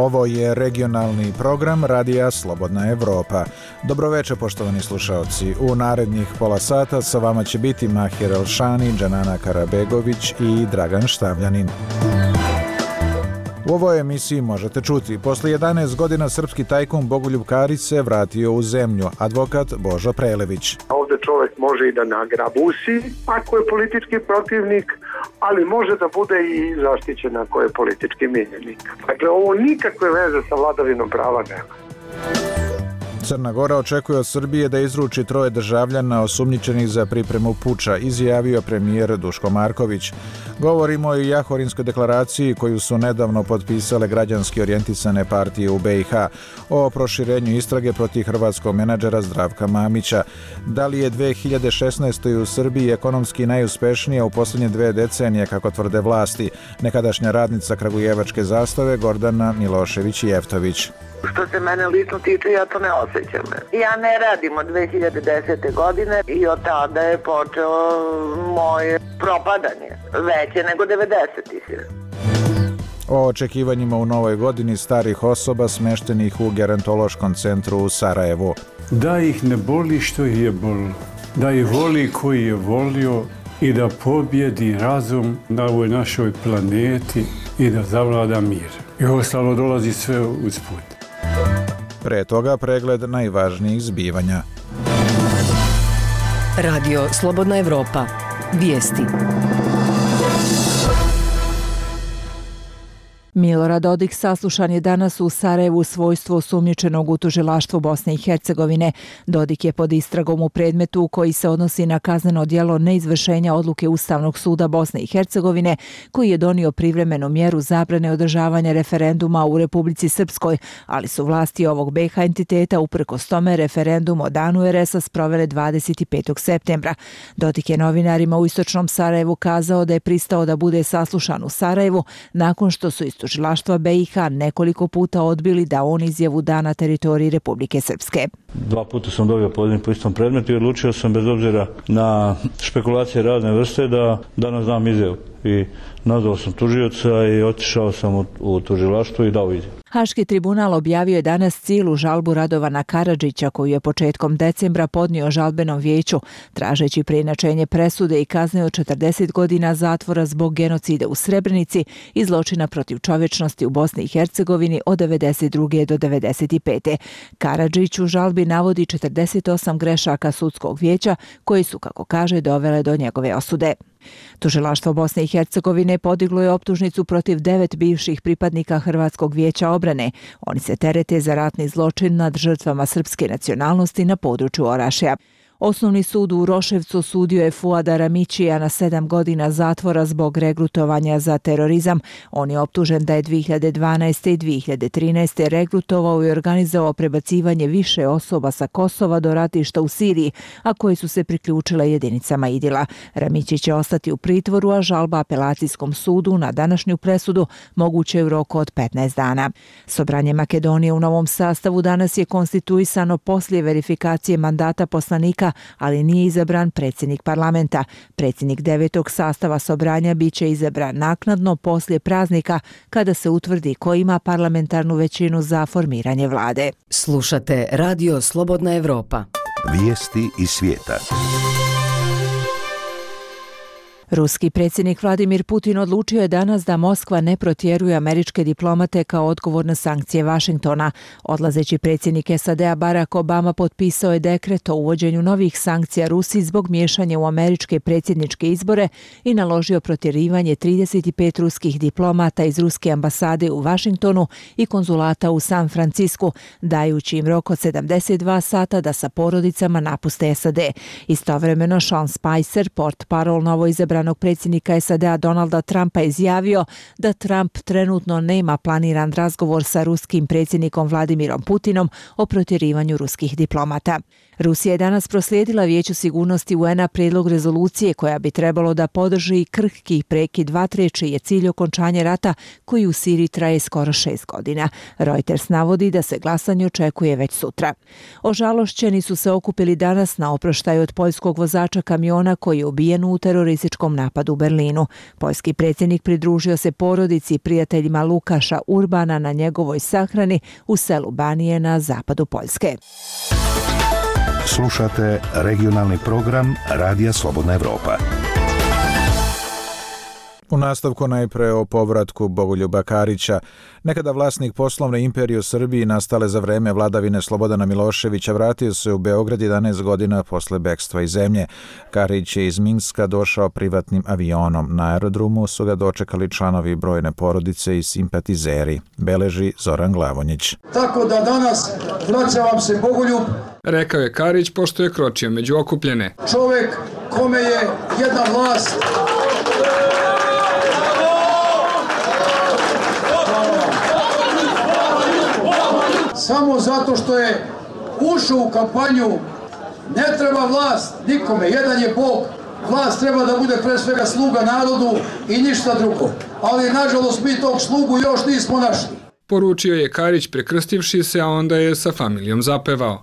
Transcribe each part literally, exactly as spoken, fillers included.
Ovo je regionalni program Radija Slobodna Evropa. Dobroveče, poštovani slušaoci. U narednih pola sata sa vama će biti Mahir Elšani, Džanana Karabegović i Dragan Štavljanin. U ovoj emisiji možete čuti: posle jedanaest godina srpski tajkun Bogoljub Karić se vratio u zemlju, advokat Božo Prelević. Ovdje čovjek može i da nagrabusi ako je politički protivnik, ali može da bude i zaštićen ako je politički miljenik. Dakle, ovo nikakve veze sa vladavinom prava nema. Crna Gora očekuje od Srbije da izruči troje državljana osumnjičenih za pripremu puča, izjavio premijer Duško Marković. Govorimo i o Jahorinskoj deklaraciji koju su nedavno potpisale građanski orijentisane partije u be i ha, o proširenju istrage protiv hrvatskog menadžera Zdravka Mamića. Da li je dve hiljade šesnaeste. u Srbiji ekonomski najuspešnija u posljednje dve decenije, kako tvrde vlasti? Nekadašnja radnica kragujevačke Zastave Gordana Milošević-Jeftović. Što se mene lično tiče, ja to ne osjećam. Ja ne radim od dve hiljade desete. godine i od tada je počeo moje propadanje, veće nego devedesetih. O očekivanjima u novoj godini starih osoba smeštenih u gerontološkom centru u Sarajevu. Da ih ne boli što ih je bolilo, da ih voli koji je volio i da pobjedi razum na ovoj našoj planeti i da zavlada mir. I ostalo dolazi sve usput. Pre toga pregled najvažnijih zbivanja. Radio Slobodna Evropa. Vijesti. Milorad Dodik saslušan je danas u Sarajevu u svojstvu osumnjičenog u tužilaštvu Bosne i Hercegovine. Dodik je pod istragom u predmetu koji se odnosi na kazneno djelo neizvršenja odluke Ustavnog suda Bosne i Hercegovine, koji je donio privremenu mjeru zabrane održavanja referenduma u Republici Srpskoj, ali su vlasti ovog be i ha entiteta uprkos tome referendum o danu er es a sprovele dvadeset petog septembra. Dodik je novinarima u istočnom Sarajevu kazao da je pristao da bude saslušan u Sarajevu nakon što su iz tužilaštva be i ha nekoliko puta odbili da on izjavu da na teritoriji Republike Srpske. Dva puta sam dobio poziv po istom predmetu i odlučio sam bez obzira na špekulacije razne vrste da danas dam izjavu. I nazvao sam tužioca i otišao sam u, u tužilaštvo i dao izjavu. Haški tribunal objavio je danas cijelu žalbu Radovana Karadžića koju je početkom decembra podnio žalbenom vijeću, tražeći preinačenje presude i kazne od četrdeset godina zatvora zbog genocida u Srebrenici i zločina protiv čovječnosti u Bosni i Hercegovini od devedeset druge do devedeset pete. Karadžić u žalbi navodi četrdeset osam grešaka sudskog vijeća koji su, kako kaže, dovele do njegove osude. Tužilaštvo Bosne i Hercegovine podiglo je optužnicu protiv devet bivših pripadnika Hrvatskog vijeća obrane. Oni se terete za ratni zločin nad žrtvama srpske nacionalnosti na području Orašja. Osnovni sud u Roševcu osudio je Fuada Ramićija na sedam godina zatvora zbog regrutovanja za terorizam. On je optužen da je dve hiljade dvanaeste. i dve hiljade trinaeste. regrutovao i organizovao prebacivanje više osoba sa Kosova do ratišta u Siriji, a koji su se priključile jedinicama Idila. Ramići će ostati u pritvoru, a žalba apelacijskom sudu na današnju presudu moguće je u roku od petnaest dana. Sobranje Makedonije u novom sastavu danas je konstituisano poslije verifikacije mandata poslanika, ali nije izabran predsjednik parlamenta. Predsjednik devetog sastava sobranja biće izabran naknadno poslije praznika kada se utvrdi ko ima parlamentarnu većinu za formiranje vlade. Slušate Radio Slobodna Evropa. Vijesti iz svijeta. Ruski predsjednik Vladimir Putin odlučio je danas da Moskva ne protjeruje američke diplomate kao odgovor na sankcije Vašingtona. Odlazeći predsjednik es a de a Barack Obama potpisao je dekret o uvođenju novih sankcija Rusiji zbog miješanja u američke predsjedničke izbore i naložio protjerivanje trideset pet ruskih diplomata iz ruske ambasade u Vašingtonu i konzulata u San Francisku, dajući im rok od sedamdeset dva sata da sa porodicama napuste es a de. Istovremeno Sean Spicer, portparol novoizabranog predsjednika es a de a Donalda Trumpa, izjavio da Trump trenutno nema planiran razgovor sa ruskim predsjednikom Vladimirom Putinom o protjerivanju ruskih diplomata. Rusija je danas proslijedila Vijeću sigurnosti u en a prijedlog rezolucije koja bi trebalo da podrži krhki prekid vatre, čiji je cilj okončanje rata koji u Siriji traje skoro šest godina. Reuters navodi da se glasanje očekuje već sutra. Ožalošćeni su se okupili danas na oproštaju od poljskog vozača kamiona koji je ubijen u terorističkom terorističkom napadu u Berlinu. Poljski predsjednik pridružio se porodici i prijateljima Lukaša Urbana na njegovoj sahrani u selu Banije na zapadu Poljske. Slušate regionalni program Radija Slobodna Evropa. U nastavku najpre o povratku Bogoljuba Karića. Nekada vlasnik poslovne imperije u Srbiji nastale za vreme vladavine Slobodana Miloševića vratio se u Beograd jedanaest godina posle bekstva iz zemlje. Karić je iz Minska došao privatnim avionom. Na aerodromu su ga dočekali članovi brojne porodice i simpatizeri. Beleži Zoran Glavonjić. Tako da danas vraćam se Bogoljub, rekao je Karić pošto je kročio među okupljene. Čovjek kome je jedna vlast samo zato što je ušao u kampanju. Ne treba vlast nikome, jedan je Bog. Vlast treba da bude pre svega sluga narodu i ništa drugo. Ali nažalost mi tog slugu još nismo našli. Poručio je Karić prekrstivši se, a onda je sa familijom zapevao.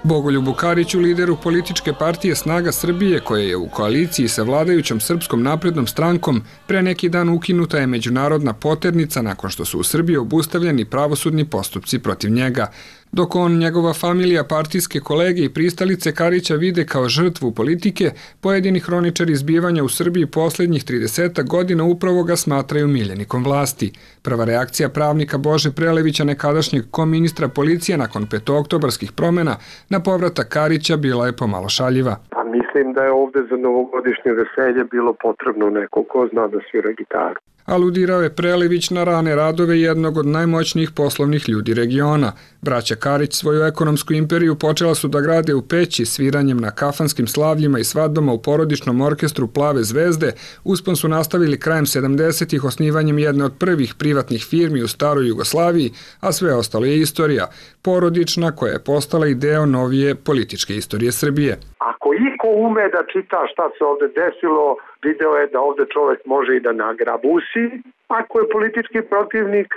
Bogoljubu Kariću, lideru političke partije Snaga Srbije, koja je u koaliciji sa vladajućom Srpskom naprednom strankom, pre neki dan ukinuta je međunarodna poternica nakon što su u Srbiji obustavljeni pravosudni postupci protiv njega. Dok on, njegova familija, partijske kolege i pristalice Karića vide kao žrtvu politike, pojedini hroničari zbivanja u Srbiji posljednjih trideset godina upravo ga smatraju miljenikom vlasti. Prva reakcija pravnika Bože Prelevića, nekadašnjeg koministra policije nakon petooktobarskih promjena, na povratak Karića bila je pomalo šaljiva. Pa mislim da je ovdje za novogodišnje veselje bilo potrebno neko ko zna da svira gitaru. Aludirao je Prelević na rane radove jednog od najmoćnijih poslovnih ljudi regiona. Braća Karić svoju ekonomsku imperiju počela su da grade u Peći sviranjem na kafanskim slavljima i svadbama u porodičnom orkestru Plave zvezde. Uspon su nastavili krajem sedamdesetih osnivanjem jedne od prvih privatnih firmi u staroj Jugoslaviji, a sve ostalo je istorija, porodična koja je postala i deo novije političke istorije Srbije. Ako iko ume da čita šta se ovdje desilo, video je da ovdje čovjek može i da nagrabusi ako je politički protivnik,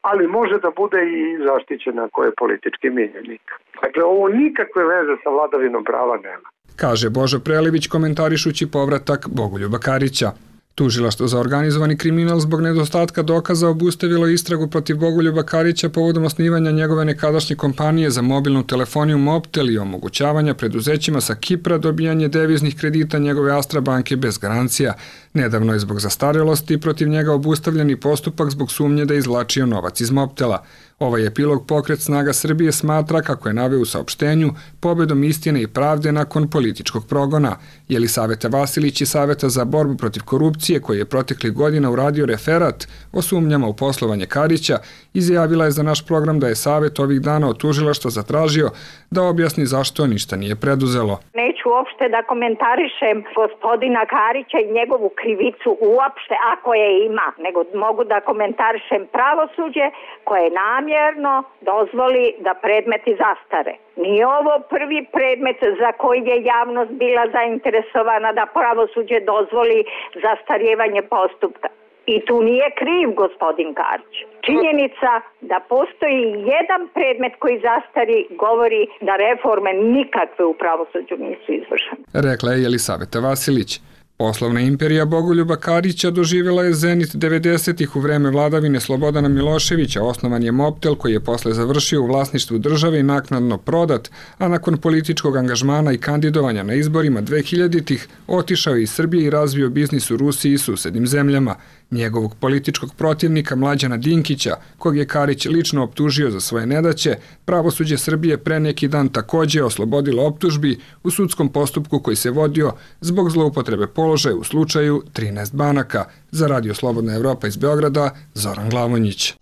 ali može da bude i zaštićen ako je politički miljenik. Dakle, ovo nikakve veze sa vladavinom prava nema. Kaže Božo Prelević komentarišući povratak Bogoljuba Karića. Tužilaštvo za organizovani kriminal zbog nedostatka dokaza obustavilo istragu protiv Bogoljuba Karića povodom osnivanja njegove nekadašnje kompanije za mobilnu telefoniju Mobtel i omogućavanja preduzećima sa Kipra dobijanje deviznih kredita njegove Astra banke bez garancija. Nedavno je zbog zastarelosti protiv njega obustavljeni postupak zbog sumnje da je izvlačio novac iz Mobtela. Ovaj epilog Pokret Snaga Srbije smatra, kako je naveo u saopštenju, pobedom istine i pravde nakon političkog progona. Jelisaveta Vasilić iz Saveta za borbu protiv korupcije, koji je proteklih godina uradio referat o sumnjama u poslovanje Karića, izjavila je za naš program da je Savet ovih dana od tužilaštva zatražio da objasni zašto ništa nije preduzelo. Neću uopšte da komentarišem gospodina Karića i njegovu krivicu uopšte, ako je ima, nego mogu da komentarišem pravosuđe koje namjerno dozvoli da predmeti zastare. Nije ovo prvi predmet za koji je javnost bila zainteresovana da pravosuđe dozvoli zastarjevanje postupka. I tu nije kriv gospodin Karić. Činjenica da postoji jedan predmet koji zastari govori da reforme nikakve u pravosuđu nisu izvršene. Rekla je Jelisaveta Vasilić. Poslovna imperija Bogoljuba Karića doživjela je zenit devedesetih u vreme vladavine Slobodana Miloševića. Osnovan je Mobtel koji je posle završio u vlasništvu države i naknadno prodat, a nakon političkog angažmana i kandidovanja na izborima dvehiljaditih otišao je iz Srbije i razvio biznis u Rusiji i susednim zemljama. Njegovog političkog protivnika Mlađana Dinkića, kog je Karić lično optužio za svoje nedaće, pravosuđe Srbije pre neki dan također oslobodilo optužbi u sudskom postupku koji se vodio zbog zloupotrebe položaja u slučaju trinaest banaka. Za Radio Slobodna Evropa iz Beograda, Zoran Glavonjić.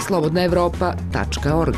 slobodna evropa tačka org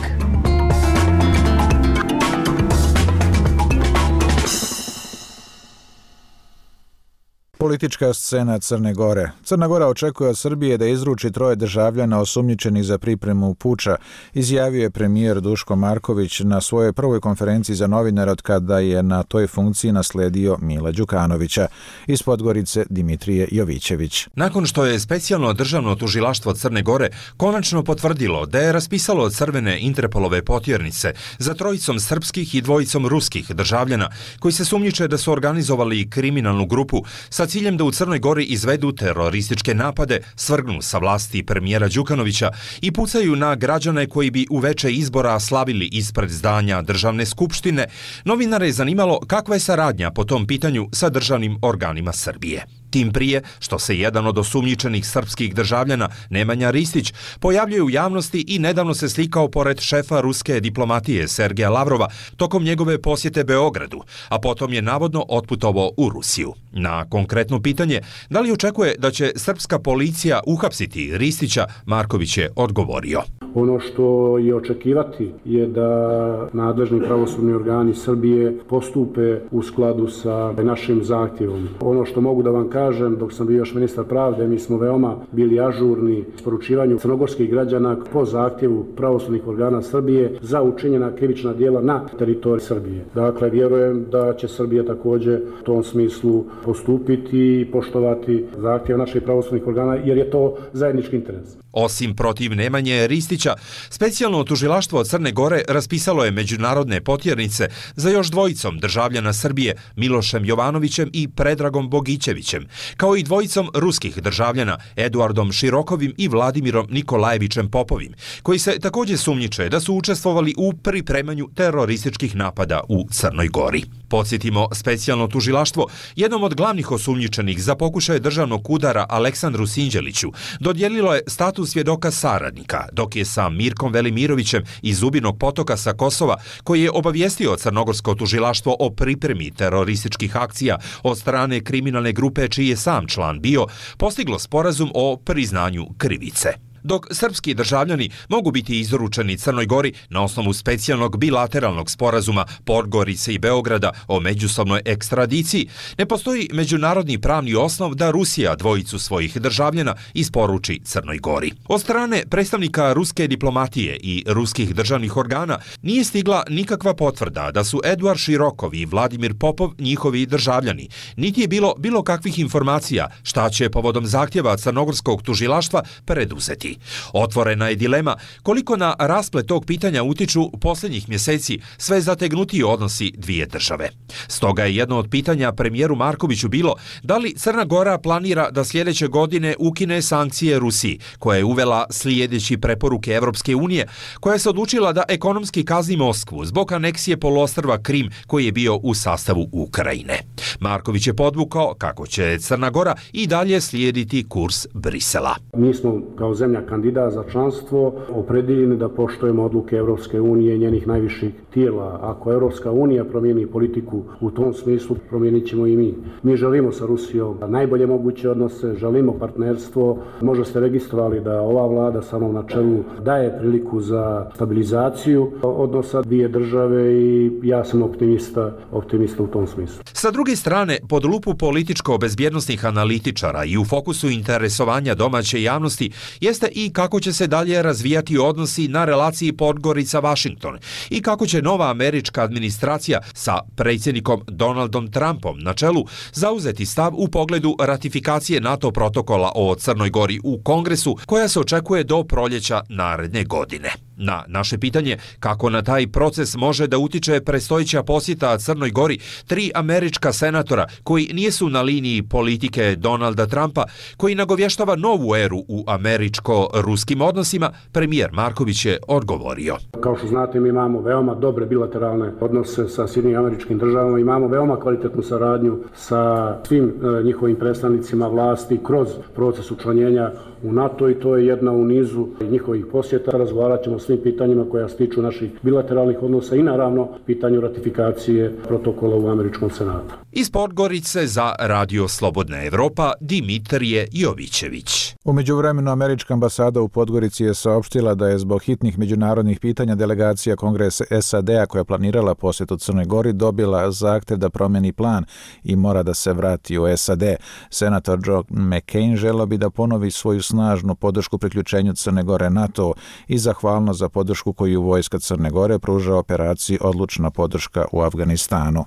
Politička scena Crne Gore. Crna Gora očekuje od Srbije da izruči troje državljana osumnjičenih za pripremu puča, izjavio je premijer Duško Marković na svojoj prvoj konferenciji za novinare od kada je na toj funkciji nasledio Mila Đukanovića. Iz Podgorice Dimitrije Jovićević. Nakon što je specijalno državno tužilaštvo Crne Gore konačno potvrdilo da je raspisalo crvene Interpolove potjernice za trojicom srpskih i dvojicom ruskih državljana koji se sumnjiče da su organizovali kriminalnu grupu sa ciljem da u Crnoj Gori izvedu terorističke napade, svrgnu sa vlasti premijera Đukanovića i pucaju na građane koji bi uveče izbora slavili ispred zdanja Državne skupštine, novinare je zanimalo kakva je saradnja po tom pitanju sa državnim organima Srbije. Tim prije što se jedan od osumnjičenih srpskih državljana, Nemanja Ristić, pojavljuje u javnosti i nedavno se slikao pored šefa ruske diplomatije Sergeja Lavrova tokom njegove posjete Beogradu, a potom je navodno otputovao u Rusiju. Na konkretno pitanje da li očekuje da će srpska policija uhapsiti Ristića, Marković je odgovorio. Ono što je očekivati je da nadležni pravosudni organi Srbije postupe u skladu sa našim zahtjevom. Ono što mogu da vam kažem, dok sam bio još ministar pravde, mi smo veoma bili ažurni s poručivanju crnogorskih građana po zahtjevu pravosudnih organa Srbije za učinjena krivična djela na teritoriji Srbije. Dakle, vjerujem da će Srbija također u tom smislu postupiti i poštovati zahtjev naših pravosudnih organa, jer je to zajednički interes. Osim protiv Nemanje Ristića, specijalno tužilaštvo Crne Gore raspisalo je međunarodne potjernice za još dvojicom državljana Srbije, Milošem Jovanovićem i Predragom Bogićevićem, kao i dvojicom ruskih državljana, Eduardom Širokovim i Vladimirom Nikolajevićem Popovim, koji se također sumnjiče da su učestvovali u pripremanju terorističkih napada u Crnoj Gori. Podsjetimo, specijalno tužilaštvo jednom od glavnih osumnjičenih za pokušaje državnog udara Aleksandru Sinđeliću dodijelilo je status svjedoka saradnika, dok je sa Mirkom Velimirovićem iz Zubinog Potoka sa Kosova, koji je obavijestio crnogorsko tužilaštvo o pripremi terorističkih akcija od strane kriminalne grupe čiji je sam član bio, postiglo sporazum o priznanju krivice. Dok srpski državljani mogu biti izručeni Crnoj Gori na osnovu specijalnog bilateralnog sporazuma Podgorice i Beograda o međusobnoj ekstradiciji, ne postoji međunarodni pravni osnov da Rusija dvojicu svojih državljana isporuči Crnoj Gori. Od strane predstavnika ruske diplomatije i ruskih državnih organa nije stigla nikakva potvrda da su Eduard Širokov i Vladimir Popov njihovi državljani, niti je bilo bilo kakvih informacija šta će povodom zahtjeva crnogorskog tužilaštva preduzeti. Otvorena je dilema koliko na rasplet tog pitanja utiču posljednjih mjeseci sve zategnutiji odnosi dvije države. Stoga je jedno od pitanja premijeru Markoviću bilo da li Crna Gora planira da sljedeće godine ukine sankcije Rusiji, koja je uvela slijedeći preporuke Evropske unije, koja se odlučila da ekonomski kazni Moskvu zbog aneksije poluostrva Krim koji je bio u sastavu Ukrajine. Marković je podvukao kako će Crna Gora i dalje slijediti kurs Brisela. Mi smo kao zemlja kandidat za članstvo opredijeljeni da poštujemo odluke Evropske unije i njenih najviših tijela. Ako Evropska unija promijeni politiku u tom smislu, promijenit ćemo i mi. Mi želimo sa Rusijom najbolje moguće odnose, želimo partnerstvo. Možda ste registrovali da ova vlada samo na čelu daje priliku za stabilizaciju odnosa dvije države i ja sam optimista, optimista u tom smislu. Sa druge strane, pod lupu političko-bezbjednostnih analitičara i u fokusu interesovanja domaće javnosti jeste i kako će se dalje razvijati odnosi na relaciji Podgorica-Washington i kako će nova američka administracija sa predsjednikom Donaldom Trumpom na čelu zauzeti stav u pogledu ratifikacije NATO protokola o Crnoj Gori u Kongresu koja se očekuje do proljeća naredne godine. Na naše pitanje kako na taj proces može da utiče predstojeća posjeta Crnoj Gori tri američka senatora koji nijesu na liniji politike Donalda Trumpa, koji nagovještava novu eru u američko-ruskim odnosima, premijer Marković je odgovorio. Kao što znate, mi imamo veoma dobre bilateralne odnose sa Sjedinjenim Američkim Državama, imamo veoma kvalitetnu saradnju sa svim e, njihovim predstavnicima vlasti kroz proces učlanjenja u NATO i to je jedna u nizu njihovih posjeta. Razgovarat ćemo o svim pitanjima koja se tiču naših bilateralnih odnosa i naravno pitanju ratifikacije protokola u Američkom senatu. Iz Podgorice za Radio Slobodna Evropa Dimitrije Jovićević. U međuvremenu američka ambasada u Podgorici je saopštila da je zbog hitnih međunarodnih pitanja delegacija Kongresa S A D-a koja je planirala posjetu Crnoj Gori dobila zahtev da promeni plan i mora da se vrati u S A D. Senator John McCain želeo bi da ponovi svoju snažnu podršku priključenju Crne Gore NATO i zahvalno za podršku koju vojska Crne Gore pruža operaciji Odlučna podrška u Afganistanu.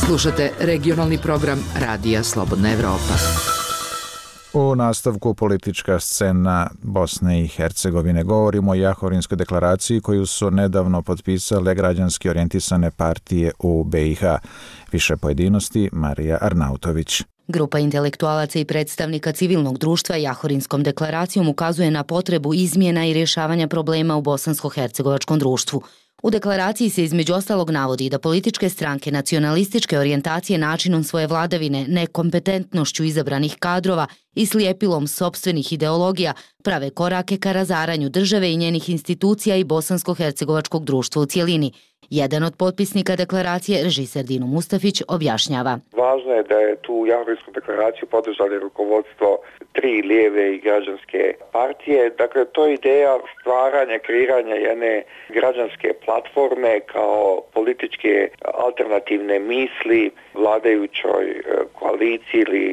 Slušate regionalni program Radija Slobodna Evropa. U nastavku politička scena Bosne i Hercegovine. Govorimo o Jahorinskoj deklaraciji koju su nedavno potpisale građanski orijentisane partije u B i H. Više pojedinosti Marija Arnautović. Grupa intelektualaca i predstavnika civilnog društva Jahorinskom deklaracijom ukazuje na potrebu izmjena i rješavanja problema u bosansko-hercegovačkom društvu. U deklaraciji se između ostalog navodi da političke stranke nacionalističke orijentacije načinom svoje vladavine, nekompetentnošću izabranih kadrova i slijepilom sopstvenih ideologija prave korake ka razaranju države i njenih institucija i bosansko-hercegovačkog društva u cijelini. Jedan od potpisnika deklaracije, režiser Dino Mustafić, objašnjava. Važno je da je tu Jahorinsku deklaraciju podržali rukovodstvo tri lijeve i građanske partije. Dakle, to je ideja stvaranja, kreiranja jedne građanske platforme kao političke alternativne misli vladajućoj koaliciji ili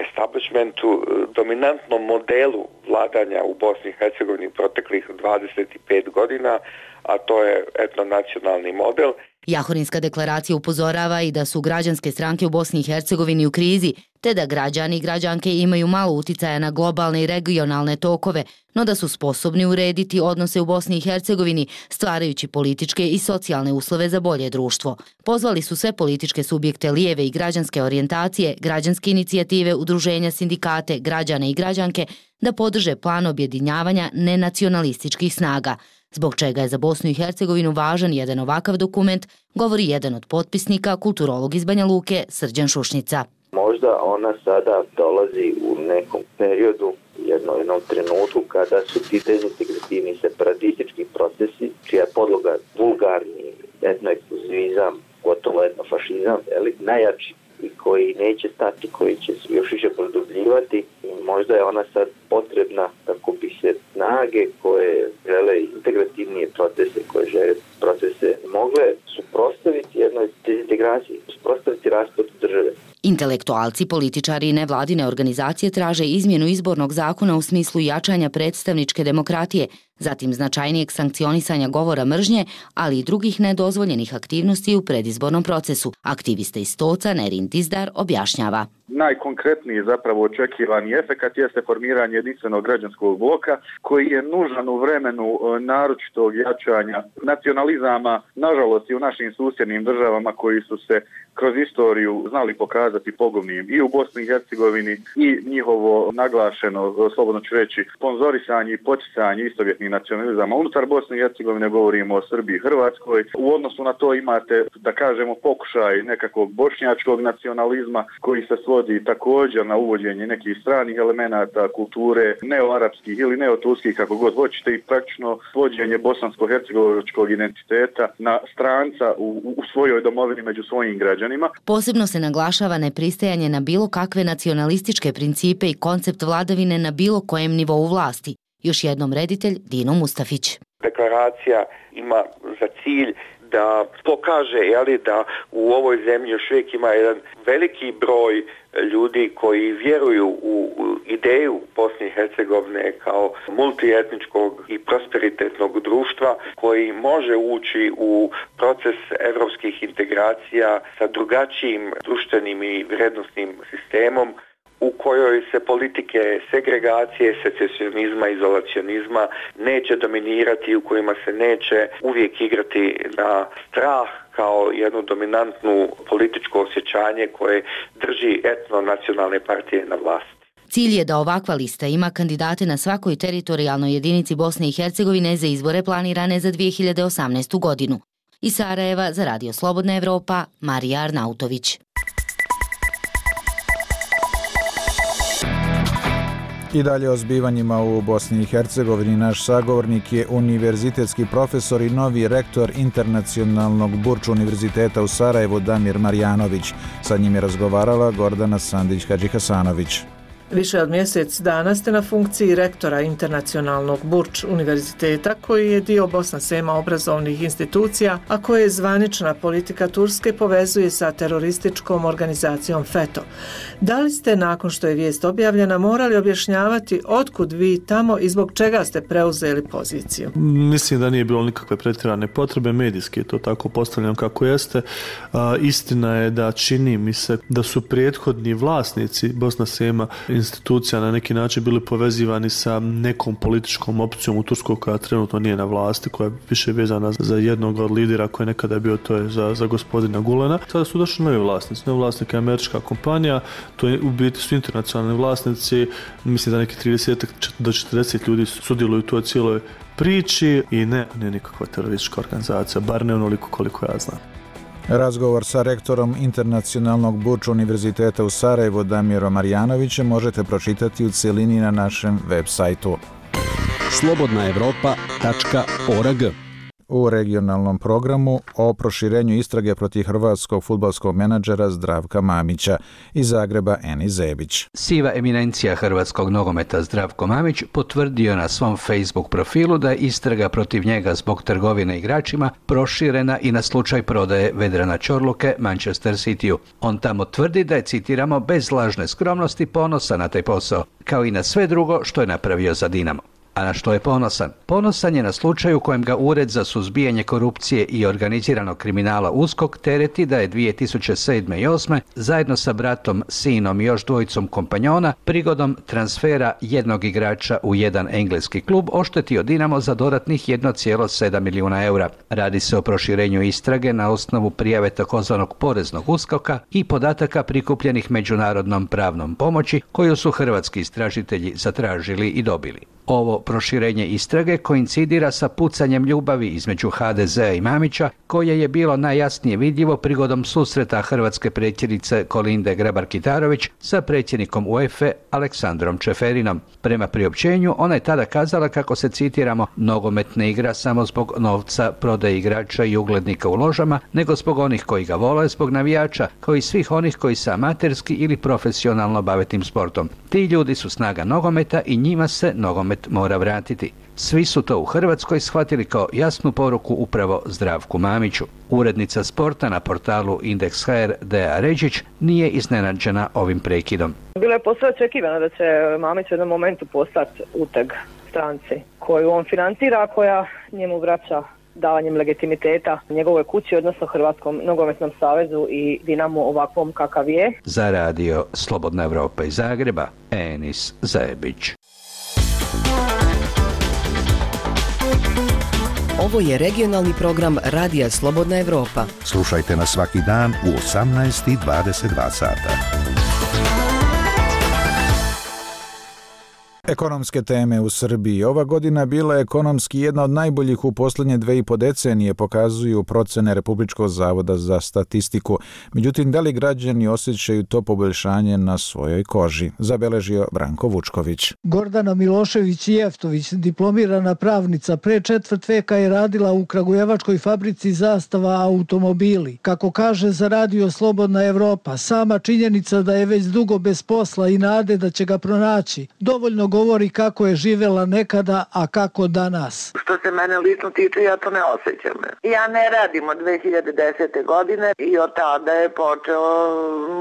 establishmentu, dominantnom modelu vladanja u Bosni i Hercegovini proteklih dvadeset pet godina, a to je etnonacionalni model. Jahorinska deklaracija upozorava i da su građanske stranke u Bosni i Hercegovini u krizi, te da građani i građanke imaju malo uticaja na globalne i regionalne tokove, no da su sposobni urediti odnose u Bosni i Hercegovini, stvarajući političke i socijalne uslove za bolje društvo. Pozvali su sve političke subjekte lijeve i građanske orijentacije, građanske inicijative, udruženja, sindikate, građane i građanke da podrže plan objedinjavanja nenacionalističkih snaga. Zbog čega je za Bosnu i Hercegovinu važan jedan ovakav dokument, govori jedan od potpisnika, kulturolog iz Banja Luke, Srđan Šušnica. Možda ona sada dolazi u nekom periodu, jednom, jednom trenutku kada su ti dezintegrativni separatistički procesi, čija je podloga vulgarni etnoekskluzivizam, gotovo etnofašizam, najjači i koji neće stati, koji će se još više produbljivati. Možda je ona sad potrebna kako bi se snage koje žele integrativnije procese, koje žele procese, mogle suprotstaviti jednoj dezintegraciji, suprotstaviti raspadu države. Intelektualci, političari i nevladine organizacije traže izmjenu izbornog zakona u smislu jačanja predstavničke demokratije, zatim značajnijeg sankcionisanja govora mržnje, ali i drugih nedozvoljenih aktivnosti u predizbornom procesu. Aktivista iz Stoca Nerin Dizdar objašnjava. Najkonkretniji zapravo očekivani efekat jeste formiranje jedinstvenog građanskog bloka koji je nužan u vremenu naročitog jačanja nacionalizama, nažalost i u našim susjednim državama koji su se kroz istoriju znali pokazati pogubnim i u Bosni i Hercegovini i njihovo naglašeno, slobodno ću reći, sponzorisanje i poticanje istovjetnih nacionalizama. Unutar Bosne i Hercegovine govorimo o Srbiji i Hrvatskoj. U odnosu na to imate, da kažemo, pokušaj nekakvog bošnjačkog nacionalizma koji se svodi također na uvođenje nekih stranih elemenata kulture, neoarapskih ili neoturskih, kako god hoćete, i praktično svođenje bosansko-hercegovačkog identiteta na stranca u, u svojoj domovini među svojim građanima. Posebno se naglašava nepristajanje na bilo kakve nacionalističke principe i koncept vladavine na bilo kojem nivou vlasti. Još jednom reditelj Dino Mustafić. Deklaracija ima za cilj da pokaže, jeli, da u ovoj zemlji još uvijek ima jedan veliki broj ljudi koji vjeruju u ideju Bosne i Hercegovine kao multietničkog i prosperitetnog društva koji može ući u proces evropskih integracija sa drugačijim društvenim i vrijednosnim sistemom u kojoj se politike segregacije, secesionizma, izolacionizma neće dominirati, u kojima se neće uvijek igrati na strah kao jednu dominantnu političko osjećanje koje drži etno-nacionalne partije na vlasti. Cilj je da ovakva lista ima kandidate na svakoj teritorijalnoj jedinici Bosne i Hercegovine za izbore planirane za dvije hiljade osamnaestu godinu. Iz Sarajeva za Radio Slobodna Evropa, Marija Arnautović. I dalje o zbivanjima u Bosni i Hercegovini naš sagovornik je univerzitetski profesor i novi rektor Internacionalnog Burč univerziteta u Sarajevu Damir Marjanović. Sa njim je razgovarala Gordana Sandić-Hadžihasanović. Više od mjesec dana ste na funkciji rektora Internacionalnog Burč univerziteta, koji je dio Bosna Sema obrazovnih institucija, a koje je zvanična politika Turske povezuje sa terorističkom organizacijom FETÖ. Da li ste, nakon što je vijest objavljena, morali objašnjavati otkud vi tamo i zbog čega ste preuzeli poziciju? Mislim da nije bilo nikakve pretjerane potrebe, medijski je to tako postavljeno kako jeste. A, istina je da čini mi se da su prethodni vlasnici Bosna Sema institucija na neki način bili povezivani sa nekom političkom opcijom u Turskoj koja trenutno nije na vlasti, koja je više vezana za jednog od lidera koji je nekada bio, to je za, za gospodina Gulena. Sada su došli novi vlasnici. Novi vlasnik je američka kompanija, to je u biti su internacionalni vlasnici, mislim da neki trideset do četrdeset ljudi sudjeluju u toj cijeloj priči i ne, ne nikakva teroristička organizacija, bar ne onoliko koliko ja znam. Razgovor sa rektorom Internacionalnog Burč univerziteta u Sarajevu Damirom Marjanovićem možete pročitati u cjelini na našem web sajtu slobodna evropa tačka org. U regionalnom programu o proširenju istrage protiv hrvatskog fudbalskog menadžera Zdravka Mamića. Iz Zagreba Eni Zebić. Siva eminencija hrvatskog nogometa Zdravko Mamić potvrdio na svom Facebook profilu da je istraga protiv njega zbog trgovine igračima proširena i na slučaj prodaje Vedrana Čorluke Manchester Cityu. On tamo tvrdi da je, citiramo, bez lažne skromnosti ponosan na taj posao, kao i na sve drugo što je napravio za Dinamo. A na što je ponosan? Ponosan je na slučaj u kojem ga Ured za suzbijanje korupcije i organiziranog kriminala USKOK tereti da je dvije tisuće sedme i osme zajedno sa bratom, sinom i još dvojicom kompanjona prigodom transfera jednog igrača u jedan engleski klub oštetio Dinamo za dodatnih jedan zarez sedam milijuna eura. Radi se o proširenju istrage na osnovu prijave takozvanog poreznog uskoka i podataka prikupljenih međunarodnom pravnom pomoći koju su hrvatski istražitelji zatražili i dobili. Ovo proširenje istrage koincidira sa pucanjem ljubavi između ha de zea i Mamića, koje je bilo najjasnije vidljivo prigodom susreta hrvatske predsjednice Kolinde Grabar-Kitarović sa predsjednikom UEFA Aleksandrom Čeferinom. Prema priopćenju, ona je tada kazala kako se, citiramo, nogomet ne igra samo zbog novca, prodaje igrača i uglednika u ložama, nego zbog onih koji ga vole, zbog navijača, kao i svih onih koji se amaterski ili profesionalno bave tim sportom. Ti ljudi su snaga nogometa i njima se nogomet mora vratiti. Svi su to u Hrvatskoj shvatili kao jasnu poruku upravo Zdravku Mamiću. Urednica sporta na portalu Indeks ha er Deja Ređić nije iznenađena ovim prekidom. Bilo je posve očekivano da će Mamić u jednom momentu postati uteg stranci koju on financira, koja njemu vraća davanjem legitimiteta njegovoj kući, odnosno Hrvatskom nogometnom savezu i Dinamo ovakvom kakav je. Za radio Slobodna Evropa iz Zagreba, Enis Zebić. Ovo je regionalni program Radija Slobodna Evropa. Slušajte nas svaki dan u osamnaest i dvadeset dva sata. Ekonomske teme u Srbiji. Ova godina bila je ekonomski jedna od najboljih u posljednje dve i po decenije, pokazuju procene Republičkog zavoda za statistiku. Međutim, da li građani osjećaju to poboljšanje na svojoj koži? Zabeležio Branko Vučković. Gordana Milošević-Jeftović, diplomirana pravnica, pre četvrt veka je radila u kragujevačkoj fabrici Zastava automobili. Kako kaže za radio Slobodna Evropa, sama činjenica da je već dugo bez posla i nade da će ga pronaći, dovoljno govori kako je živjela nekada, a kako danas. Što se mene lično tiče, ja to ne osjećam. Ja ne radim od dve hiljade desete. godine i od tada je počeo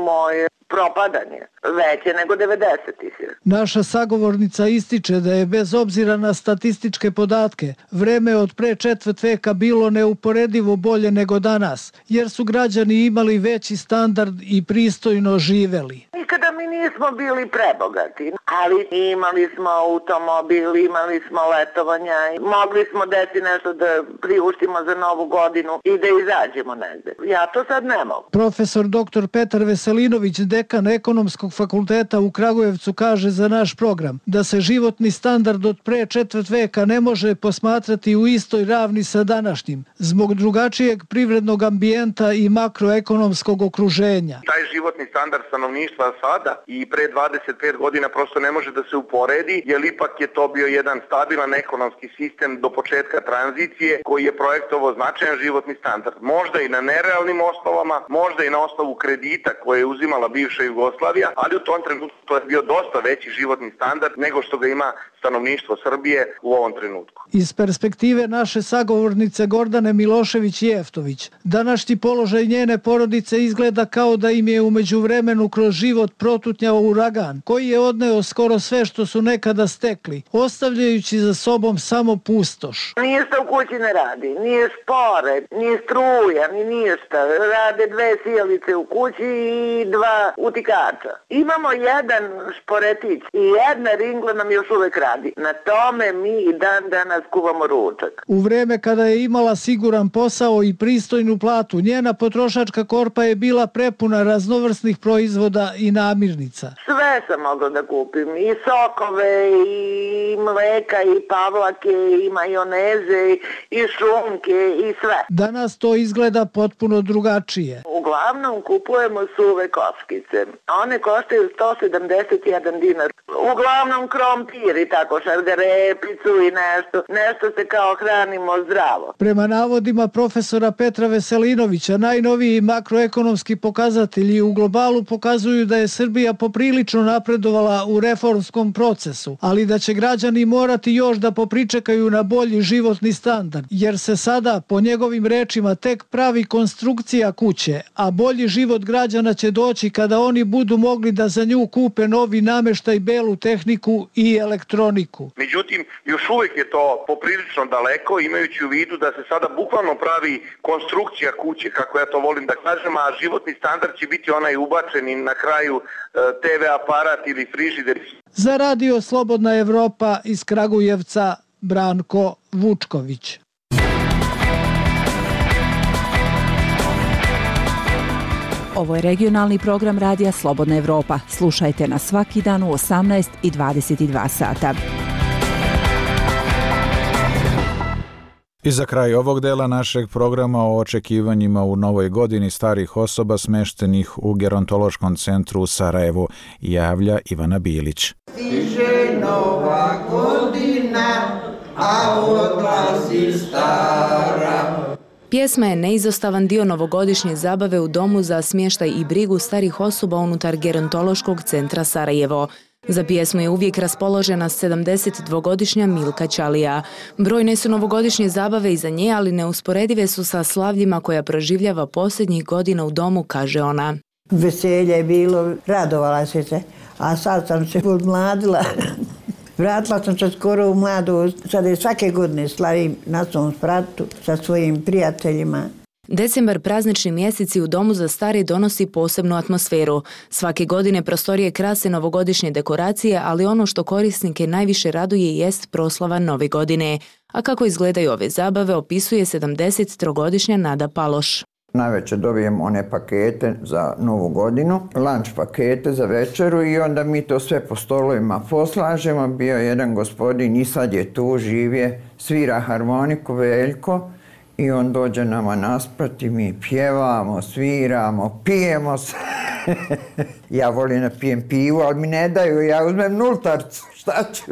moje propadanje, veće nego devedesetih. Naša sagovornica ističe da je bez obzira na statističke podatke vreme od pre četvrt veka bilo neuporedivo bolje nego danas, jer su građani imali veći standard i pristojno živeli. Nikada mi nismo bili prebogati, ali imali smo automobil, imali smo letovanja, mogli smo deti nešto da priuštimo za novu godinu i da izađemo negde. Ja to sad ne mogu. Profesor doktor Petar Veselinović, dekan Ekonomskog fakulteta u Kragujevcu, kaže za naš program da se životni standard od pre četvrt veka ne može posmatrati u istoj ravni sa današnjim, zbog drugačijeg privrednog ambijenta i makroekonomskog okruženja. Taj životni standard stanovništva sada i pre dvadeset pet godina prosto ne može da se uporedi, jer ipak je to bio jedan stabilan ekonomski sistem do početka tranzicije koji je projektovao značajan životni standard. Možda i na nerealnim osnovama, možda i na osnovu kredita koje je uzimala bivša Jugoslavija, ali u tom trenutku to je bio dosta veći životni standard nego što ga ima stanovništvo Srbije u ovom trenutku. Iz perspektive naše sagovornice Gordane Milošević-Jeftović, današnji položaj njene porodice izgleda kao da im je u međuvremenu kroz život protutnjao uragan, koji je odneo skoro sve što su nekada stekli, ostavljajući za sobom samo pustoš. Ništa u kući ne radi, nije špore, nije struja, ni ništa. Rade dve sjelice u kući i dva utikača. Imamo jedan šporetić i jedna ringla nam još uvek radi. Na tome mi i dan danas kuvamo ručak. U vreme kada je imala siguran posao i pristojnu platu, njena potrošačka korpa je bila prepuna raznovrsnih proizvoda i namirnica. Sve sam mogla da kupim, i sokove, i mleka, i pavlake, i majoneze, i šunke, i sve. Danas to izgleda potpuno drugačije. Uglavnom kupujemo suve kockice. One koštaju sto sedamdeset jedan dinar. Uglavnom krompir i tako šargarepicu i nešto. Nešto se kao hranimo zdravo. Prema navodima profesora Petra Veselinovića, najnoviji makroekonomski pokazatelji u globalu pokazuju da je Srbija poprilično napredovala u reformskom procesu, ali da će građani morati još da popričekaju na bolji životni standard, jer se sada, po njegovim rečima, tek pravi konstrukcija kuće, a bolji život građana će doći kada oni budu mogli da za nju kupe novi nameštaj, belu tehniku i elektroniku. Međutim, još uvijek je to poprilično daleko, imajući u vidu da se sada bukvalno pravi konstrukcija kuće, kako ja to volim da kažem, a životni standard će biti onaj ubačen i na kraju te ve aparat ili frižider. Za radio Slobodna Evropa iz Kragujevca, Branko Vučković. Ovo je regionalni program Radija Slobodna Evropa. Slušajte nas svaki dan u osamnaest i dvadeset dva sata. I za kraj ovog dela našeg programa o očekivanjima u novoj godini starih osoba smeštenih u gerontološkom centru u Sarajevu javlja Ivana Bilić. Stiže nova godina, a odlazi stara. Pjesma je neizostavan dio novogodišnje zabave u Domu za smještaj i brigu starih osoba unutar gerontološkog centra Sarajevo. Za pjesmu je uvijek raspoložena sedamdesetdvogodišnja Milka Ćalija. Brojne su novogodišnje zabave iza nje, ali neusporedive su sa slavljima koja proživljava posljednjih godina u domu, kaže ona. Veselje je bilo, radovala se se, a sad sam se odmladila. Vratila sam se skoro u mladu, sad je svake godine slavim na svom spratu sa svojim prijateljima. Decembar, praznični mjeseci u Domu za stare donosi posebnu atmosferu. Svake godine prostorije krase novogodišnje dekoracije, ali ono što korisnike najviše raduje jest proslava Nove godine. A kako izgledaju ove zabave opisuje sedamdesettrogodišnja Nada Paloš. Navečer dobijem one pakete za Novu godinu, lunch pakete za večeru i onda mi to sve po stolovima poslažemo. Bio jedan gospodin i sad je tu, živje, svira harmoniku, Veljko, i on dođe nama nasprati, mi pjevamo, sviramo, pijemo se. Ja volim da pijem pivu, ali mi ne daju, ja uzmem nultarcu, šta ću?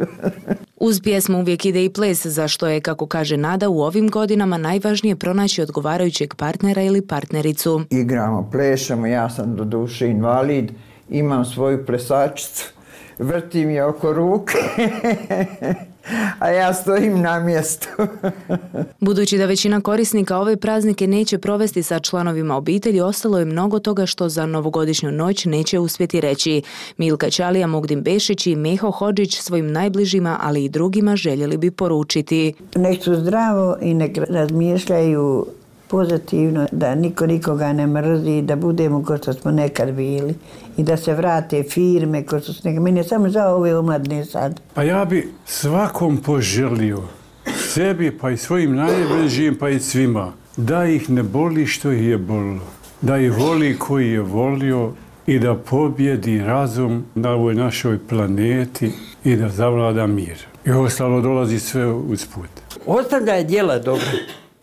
Uz pjesmu uvijek ide i ples, za što je, kako kaže Nada, u ovim godinama najvažnije pronaći odgovarajućeg partnera ili partnericu. Igramo, plešamo, ja sam do duše invalid, imam svoju plesačicu, vrtim je oko ruke, a ja stojim na mjestu. Budući da većina korisnika ove praznike neće provesti sa članovima obitelji, ostalo je mnogo toga što za novogodišnju noć neće uspjeti reći. Milka Ćalija, Mugdin Bešić i Meho Hodžić svojim najbližima, ali i drugima željeli bi poručiti. Nek su zdravo i nek razmišljaju pozitivno, da niko nikoga ne mrzi, da budemo kao što smo nekad bili i da se vrate firme kao što su nekad. Meni je samo žao ove omladne sad. Pa ja bi svakom poželio, sebi pa i svojim najbližim pa i svima, da ih ne boli što ih je bolilo, da ih voli koji je volio i da pobjedi razum na ovoj našoj planeti i da zavlada mir. I ostalo dolazi sve usput. Ostavljaj djela dobro.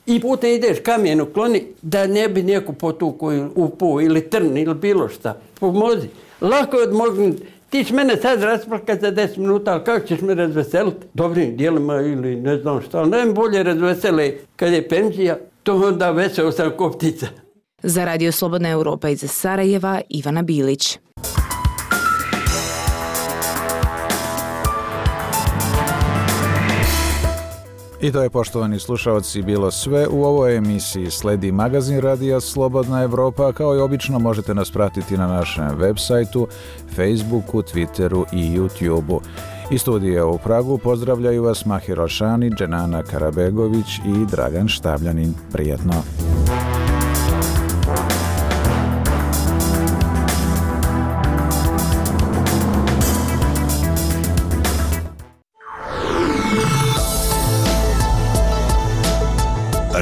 I putem ideš kamenu kloni da ne bi neko potukao u po ili trn ili bilo šta. Pomozi. Lako je odmognuti. Ti će mene sad rasplakati za deset minuta, ali kako ćeš me razveseliti? Dobrim dijelima ili ne znam šta, ali najbolje razvesele kad je penzija, to onda veseo sam ko ptica. Za Radio Slobodna Europa iz Sarajeva, Ivana Bilić. I to je, poštovani slušalci, bilo sve u ovoj emisiji. Sledi magazin Radija Slobodna Evropa. Kao i obično možete nas pratiti na našem web sajtu, Facebooku, Twitteru i YouTubeu. Iz studija u Pragu pozdravljaju vas Mahir Alšani, Dženana Karabegović i Dragan Štabljanin. Prijetno!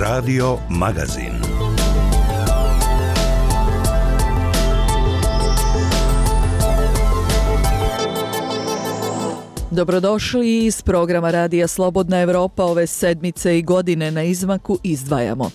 Radio Magazin. Dobrodošli iz programa Radija Slobodna Evropa. Ove sedmice i godine na izmaku izdvajamo.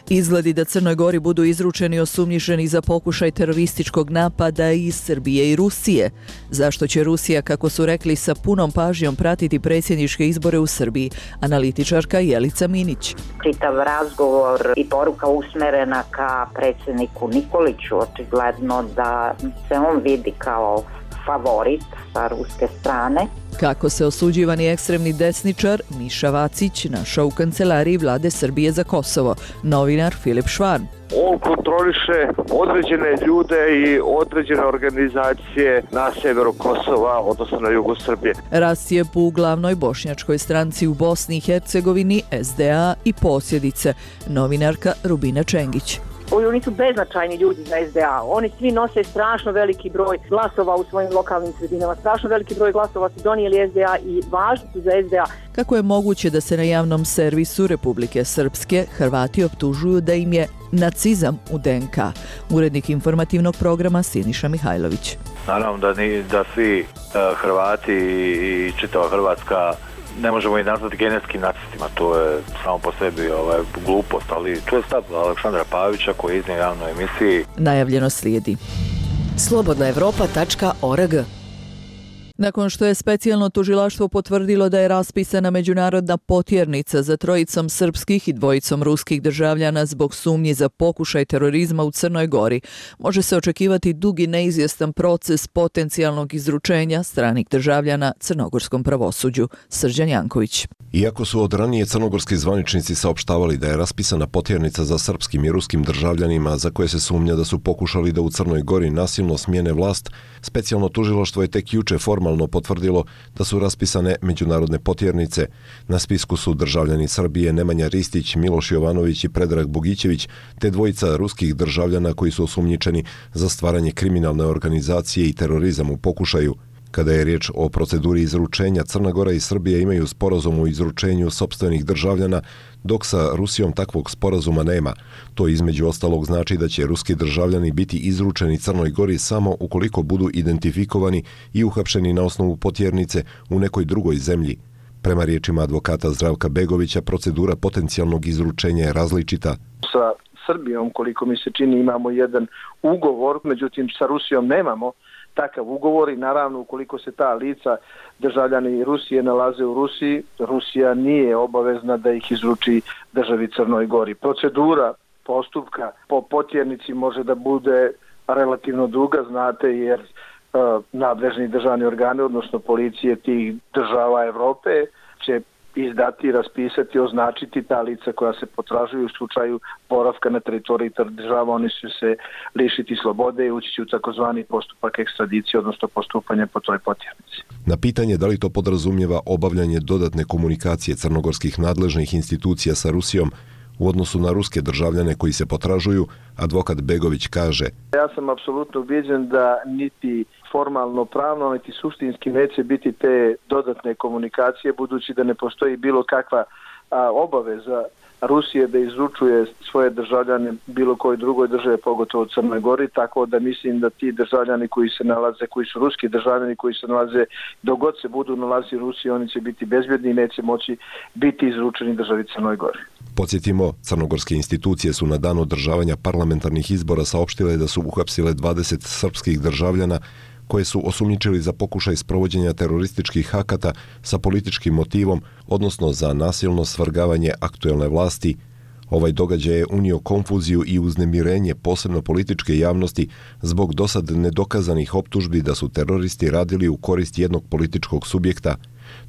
Izgledi da Crnoj Gori budu izručeni osumnjičeni za pokušaj terorističkog napada iz Srbije i Rusije. Zašto će Rusija, kako su rekli, sa punom pažnjom pratiti predsjedničke izbore u Srbiji? Analitičarka Jelica Minić. Čitav razgovor i poruka usmerena ka predsjedniku Nikoliću, očigledno da se on vidi kao favorit sa ruske strane. Kako se osuđivani ekstremni desničar Miša Vacić našao u kancelariji Vlade Srbije za Kosovo, novinar Filip Švarn. On kontroliše određene ljude i određene organizacije na severu Kosova, odnosno na jugu Srbije. Rascijep u glavnoj bošnjačkoj stranci u Bosni i Hercegovini, S D A i posljedice, novinarka Rubina Čengić. Oni su beznačajni ljudi za S D A. Oni svi nose strašno veliki broj glasova u svojim lokalnim sredinama. Strašno veliki broj glasova su donijeli S D A i važni su za S D A. Kako je moguće da se na javnom servisu Republike Srpske Hrvati optužuju da im je nacizam u D N K? Urednik informativnog programa Siniša Mihajlović. Naravno da, ni, da svi uh, Hrvati i čitava Hrvatska ne možemo i nazvati genetskim nacistima, to je samo po sebi ovaj, glupost, ali to je stav Aleksandra Pavića koji je iznio javnoj emisiji. Najavljeno slijedi. slobodna evropa tačka org. Nakon što je specijalno tužilaštvo potvrdilo da je raspisana međunarodna potjernica za trojicom srpskih i dvojicom ruskih državljana zbog sumnji za pokušaj terorizma u Crnoj Gori, može se očekivati dugi neizvjestan proces potencijalnog izručenja stranih državljana crnogorskom pravosuđu. Srđan Janković. Iako su od ranije crnogorski zvaničnici saopštavali da je raspisana potjernica za srpskim i ruskim državljanima za koje se sumnja da su pokušali da u Crnoj Gori nasilno smijene vlast, specijalno tužilaštvo je tek juče formalno potvrdilo da su raspisane međunarodne potjernice. Na spisku su državljani Srbije Nemanja Ristić, Miloš Jovanović i Predrag Bogićević, te dvojica ruskih državljana koji su osumnjičeni za stvaranje kriminalne organizacije i terorizam u pokušaju. Kada je riječ o proceduri izručenja, Crna Gora i Srbija imaju sporazum o izručenju sopstvenih državljana, dok sa Rusijom takvog sporazuma nema. To između ostalog znači da će ruski državljani biti izručeni Crnoj Gori samo ukoliko budu identifikovani i uhapšeni na osnovu potjernice u nekoj drugoj zemlji. Prema riječima advokata Zdravka Begovića, procedura potencijalnog izručenja je različita. Sa Srbijom, koliko mi se čini, imamo jedan ugovor, međutim sa Rusijom nemamo takav ugovor i naravno ukoliko se ta lica državljani Rusije nalaze u Rusiji, Rusija nije obavezna da ih izruči državi Crnoj Gori. Procedura postupka po potjernici može da bude relativno duga, znate, jer uh, nadležni državni organi, odnosno policije tih država Evrope će izdati, raspisati, označiti ta lica koja se potražuju u slučaju boravka na teritoriji država, oni će se lišiti slobode i ući će u takozvani postupak ekstradicije, odnosno postupanje po toj potjernici. Na pitanje da li to podrazumijeva obavljanje dodatne komunikacije crnogorskih nadležnih institucija sa Rusijom u odnosu na ruske državljane koji se potražuju, advokat Begović kaže: Ja sam apsolutno ubijeđen da niti formalno pravno, niti suštinski neće biti te dodatne komunikacije, budući da ne postoji bilo kakva a obaveza Rusije da izručuje svoje državljane bilo koje drugoj države, pogotovo Crnoj Gori, tako da mislim da ti državljani koji se nalaze, koji su ruski državljani koji se nalaze, dok god se budu nalazi u Rusiji, oni će biti bezbjedni i neće moći biti izručeni državi Crnoj Gori. Podsjetimo, crnogorske institucije su na dan održavanja parlamentarnih izbora saopštile da su uhapsile dvadeset srpskih državljana koje su osumnjičili za pokušaj sprovođenja terorističkih akata sa političkim motivom, odnosno za nasilno svrgavanje aktuelne vlasti. Ovaj događaj je unio konfuziju i uznemirenje posebno političke javnosti zbog dosad nedokazanih optužbi da su teroristi radili u korist jednog političkog subjekta.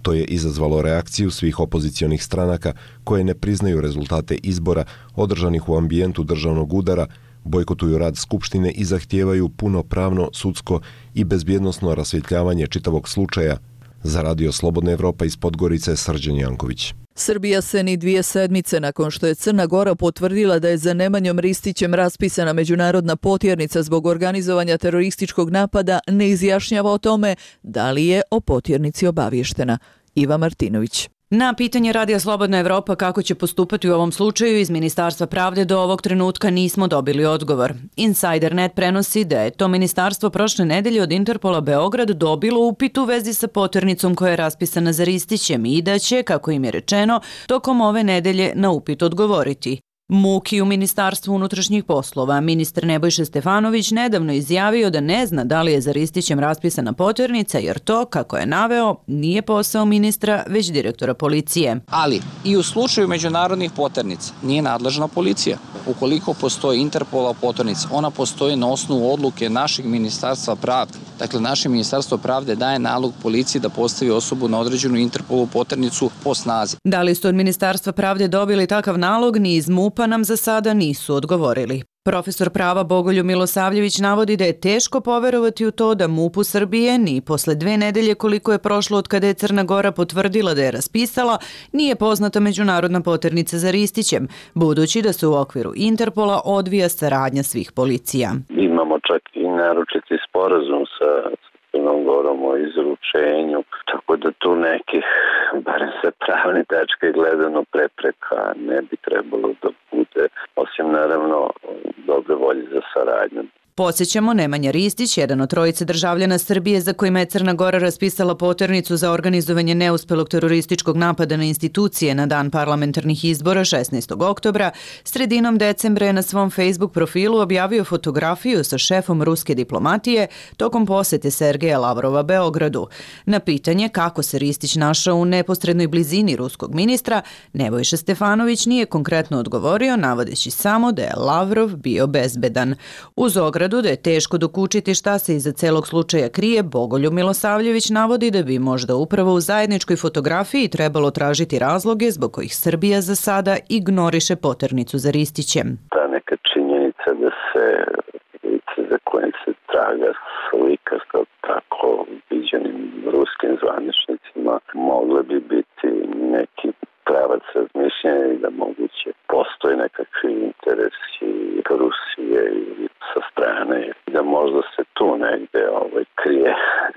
To je izazvalo reakciju svih opozicionih stranaka koje ne priznaju rezultate izbora održanih u ambijentu državnog udara, bojkotuju rad Skupštine i zahtijevaju punopravno, sudsko i bezbjednosno rasvjetljavanje čitavog slučaja. Za Radio Slobodna Evropa iz Podgorice, Srđan Janković. Srbija se ni dvije sedmice nakon što je Crna Gora potvrdila da je za Nemanjom Ristićem raspisana međunarodna potjernica zbog organizovanja terorističkog napada ne izjašnjava o tome da li je o potjernici obavještena. Iva Martinović. Na pitanje Radija Slobodna Evropa kako će postupati u ovom slučaju iz Ministarstva pravde do ovog trenutka nismo dobili odgovor. Insider net prenosi da je to ministarstvo prošle nedelje od Interpola Beograd dobilo upit u vezi sa potjernicom koja je raspisana za Ristićem i da će, kako im je rečeno, tokom ove nedelje na upit odgovoriti. Muki u Ministarstvu unutrašnjih poslova. Ministar Nebojša Stefanović nedavno izjavio da ne zna da li je za Ristićem raspisana potjernica jer to, kako je naveo, nije posao ministra, već direktora policije. Ali i u slučaju međunarodnih potjernica nije nadležna policija. Ukoliko postoji Interpola potjernica, ona postoji na osnovu odluke našeg Ministarstva pravde. Dakle, naše Ministarstvo pravde daje nalog policiji da postavi osobu na određenu Interpolu potjernicu po snazi. Da li su od Ministarstva pravde dobili takav nalog, ni iz MUP-a nam za sada nisu odgovorili. Profesor prava Bogoljub Milosavljević navodi da je teško poverovati u to da MUP-u Srbije ni posle dve nedelje koliko je prošlo od kada je Crna Gora potvrdila da je raspisala, nije poznata međunarodna potjernica za Ristićem, budući da se u okviru Interpola odvija saradnja svih policija. Imamo čak i naručiti sporazum sa Crnom Gorom o izručenju, tako da tu nekih, barem sa pravne tačke gledano, prepreka ne bi trebalo da bude, osim naravno dobre volje za saradnju. Podsjećamo, Nemanja Ristić, jedan od trojice državljana Srbije za kojima je Crna Gora raspisala potjernicu za organizovanje neuspelog terorističkog napada na institucije na dan parlamentarnih izbora šesnaestog oktobra, sredinom decembra je na svom Facebook profilu objavio fotografiju sa šefom ruske diplomatije tokom posete Sergeja Lavrova Beogradu. Na pitanje kako se Ristić našao u neposrednoj blizini ruskog ministra, Nebojša Stefanović nije konkretno odgovorio, navodeći samo da je Lavrov bio bezbedan. Uz ogradu da je teško dokučiti šta se iza celog slučaja krije, Bogoljub Milosavljević navodi da bi možda upravo u zajedničkoj fotografiji trebalo tražiti razloge zbog kojih Srbija za sada ignoriše potjernicu za Ristićem. Ta neka činjenica da se lice za kojim se traga slika sa tako viđenim ruskim zvaničnicima mogle bi biti neki pravac razmišljanja i da moguće postoji nekakvi interesi Rusije ili sa strane i da možda se tu negde ovaj, krije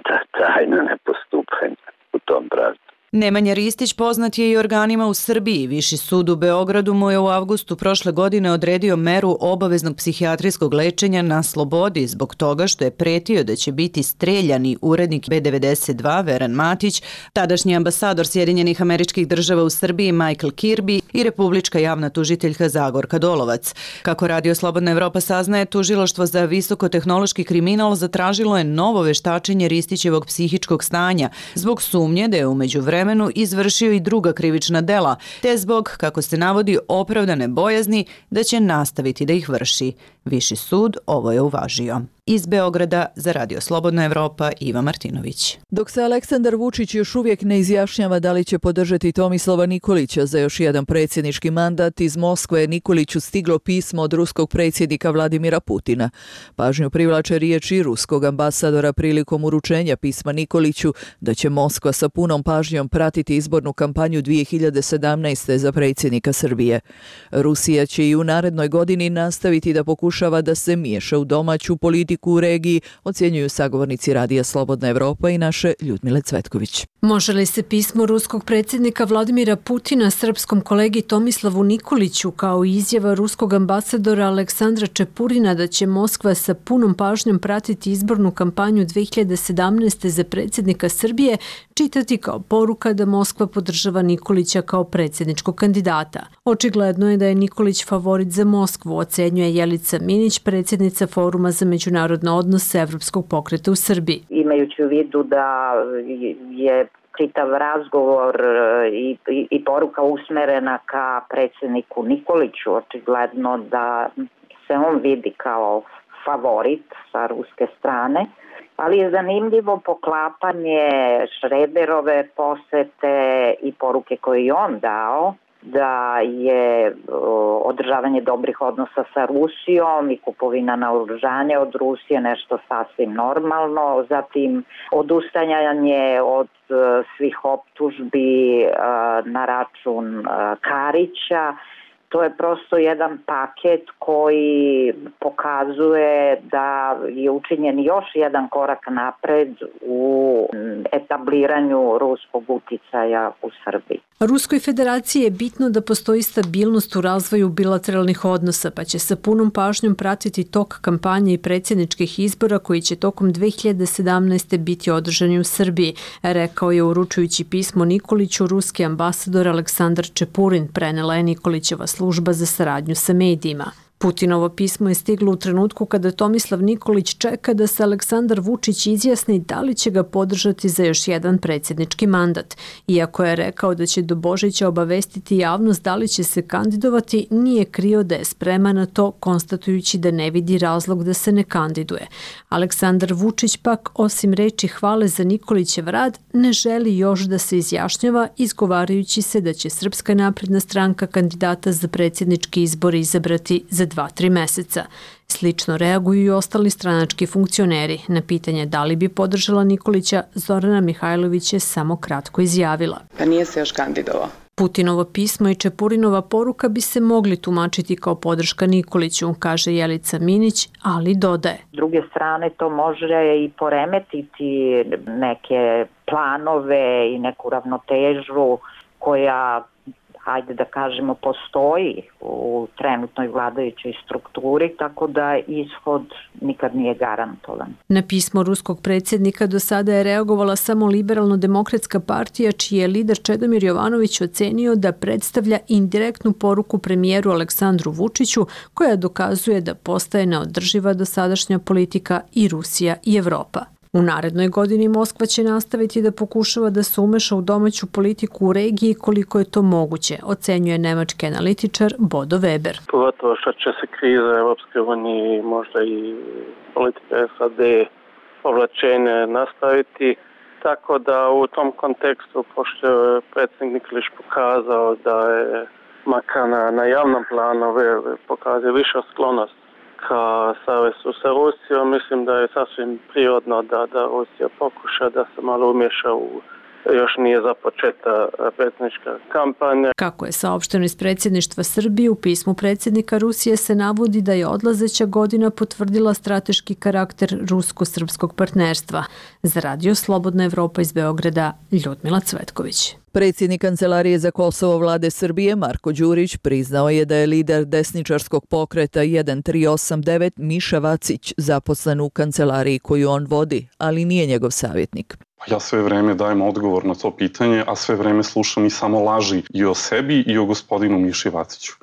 ta tajna nepostupanja u tom pravcu. Nemanja Ristić poznat je i organima u Srbiji. Viši sud u Beogradu mu je u avgustu prošle godine odredio meru obaveznog psihijatrijskog lečenja na slobodi zbog toga što je pretio da će biti streljani urednik B devedeset dva Veran Matić, tadašnji ambasador Sjedinjenih Američkih Država u Srbiji Michael Kirby i republička javna tužiteljka Zagorka Dolovac. Kako Radio Slobodna Evropa saznaje, tužilaštvo za visokotehnološki kriminal zatražilo je novo veštačenje Ristićevog psihičkog stanja zbog sumnje da je umeđu vremenu izvršio i druga krivična dela, te zbog, kako se navodi, opravdane bojazni da će nastaviti da ih vrši. Viši sud ovo je uvažio. Iz Beograda za Radio Slobodna Evropa, Iva Martinović. Dok se Aleksandar Vučić još uvijek ne izjašnjava da li će podržati Tomislava Nikolića za još jedan predsjednički mandat, iz Moskve je Nikoliću stiglo pismo od ruskog predsjednika Vladimira Putina. Pažnju privlače riječi ruskog ambasadora prilikom uručenja pisma Nikoliću da će Moskva sa punom pažnjom pratiti izbornu kampanju dvije hiljade sedamnaeste. za predsjednika Srbije. Rusija će i u narednoj godini nastaviti da pokušava da se miješa u domaću politiku politiku u regiji, ocjenjuju sagovornici Radija Slobodna Evropa i naše Ljudmile Cvetković. Može li se pismo ruskog predsjednika Vladimira Putina srpskom kolegi Tomislavu Nikoliću kao i izjava ruskog ambasadora Aleksandra Čepurina da će Moskva sa punom pažnjom pratiti izbornu kampanju dve hiljade sedamnaeste. za predsjednika Srbije čitati kao poruka da Moskva podržava Nikolića kao predsjedničkog kandidata? Očigledno je da je Nikolić favorit za Moskvu, ocenjuje Jelica Minić, predsjednica Foruma za međunarodne odnose Evropskog pokreta u Srbiji. Imajući u vidu da je čitav razgovor i, i, i poruka usmerena ka predsjedniku Nikoliću, očigledno da se on vidi kao favorit sa ruske strane, ali je zanimljivo poklapanje Šrederove posete i poruke koje je on dao, da je održavanje dobrih odnosa sa Rusijom i kupovina naoružanja od Rusije nešto sasvim normalno, zatim odustajanje od svih optužbi na račun Karića. To je prosto jedan paket koji pokazuje da je učinjen još jedan korak napred u etabliranju ruskog uticaja u Srbiji. Ruskoj federaciji je bitno da postoji stabilnost u razvoju bilateralnih odnosa, pa će sa punom pažnjom pratiti tok kampanje i predsjedničkih izbora koji će tokom dve hiljade sedamnaeste. biti održani u Srbiji, rekao je uručujući pismo Nikoliću ruski ambasador Aleksandar Čepurin, prenela je Nikolićeva služba za saradnju sa medijima. Putinovo pismo je stiglo u trenutku kada Tomislav Nikolić čeka da se Aleksandar Vučić izjasni da li će ga podržati za još jedan predsjednički mandat. Iako je rekao da će do Božića obavestiti javnost da li će se kandidovati, nije krio da je spreman na to, konstatujući da ne vidi razlog da se ne kandiduje. Aleksandar Vučić pak, osim reči hvale za Nikolićev rad, ne želi još da se izjašnjava, izgovarajući se da će Srpska napredna stranka kandidata za predsjednički izbor izabrati za dva, tri meseca. Slično reaguju i ostali stranački funkcioneri. Na pitanje da li bi podržala Nikolića, Zorana Mihajlović je samo kratko izjavila. Pa nije se još kandidovao. Putinovo pismo i Čepurinova poruka bi se mogli tumačiti kao podrška Nikoliću, kaže Jelica Minić, ali dodaje. S druge strane to može i poremetiti neke planove i neku ravnotežu koja, ajde da kažemo, postoji u trenutnoj vladajućoj strukturi, tako da ishod nikad nije garantovan. Na pismo ruskog predsjednika do sada je reagovala samo Liberalno-demokratska partija, čiji je lider Čedomir Jovanović ocenio da predstavlja indirektnu poruku premijeru Aleksandru Vučiću, koja dokazuje da postaje neodrživa dosadašnja politika i Rusija i Evropa. U narednoj godini Moskva će nastaviti da pokušava da se umeša u domaću politiku u regiji koliko je to moguće, ocenjuje nemački analitičar Bodo Weber. Pogotovo što će se kriza Europske unije, možda i politika S A D povlačenje nastaviti, tako da u tom kontekstu, pošto je predsjednik Nikolić pokazao da je makar na, na javnom planu pokazuje više sklonost ka savezu sa Rusijom, mislim da je sasvim prirodno da, da Rusija pokuša da se malo umješa u još nije započeta predsjednička kampanja. Kako je saopšteno iz predsjedništva Srbije, u pismu predsjednika Rusije se navodi da je odlazeća godina potvrdila strateški karakter rusko-srpskog partnerstva. Za Radio Slobodna Evropa iz Beograda, Ljudmila Cvetković. Predsjednik Kancelarije za Kosovo vlade Srbije Marko Đurić priznao je da je lider desničarskog pokreta jedan tri osam devet Miša Vacić zaposlen u kancelariji koju on vodi, ali nije njegov savjetnik. Ja sve vreme dajem odgovor na to pitanje, a sve vreme slušam i samo laži i o sebi i o gospodinu Miši Vaciću.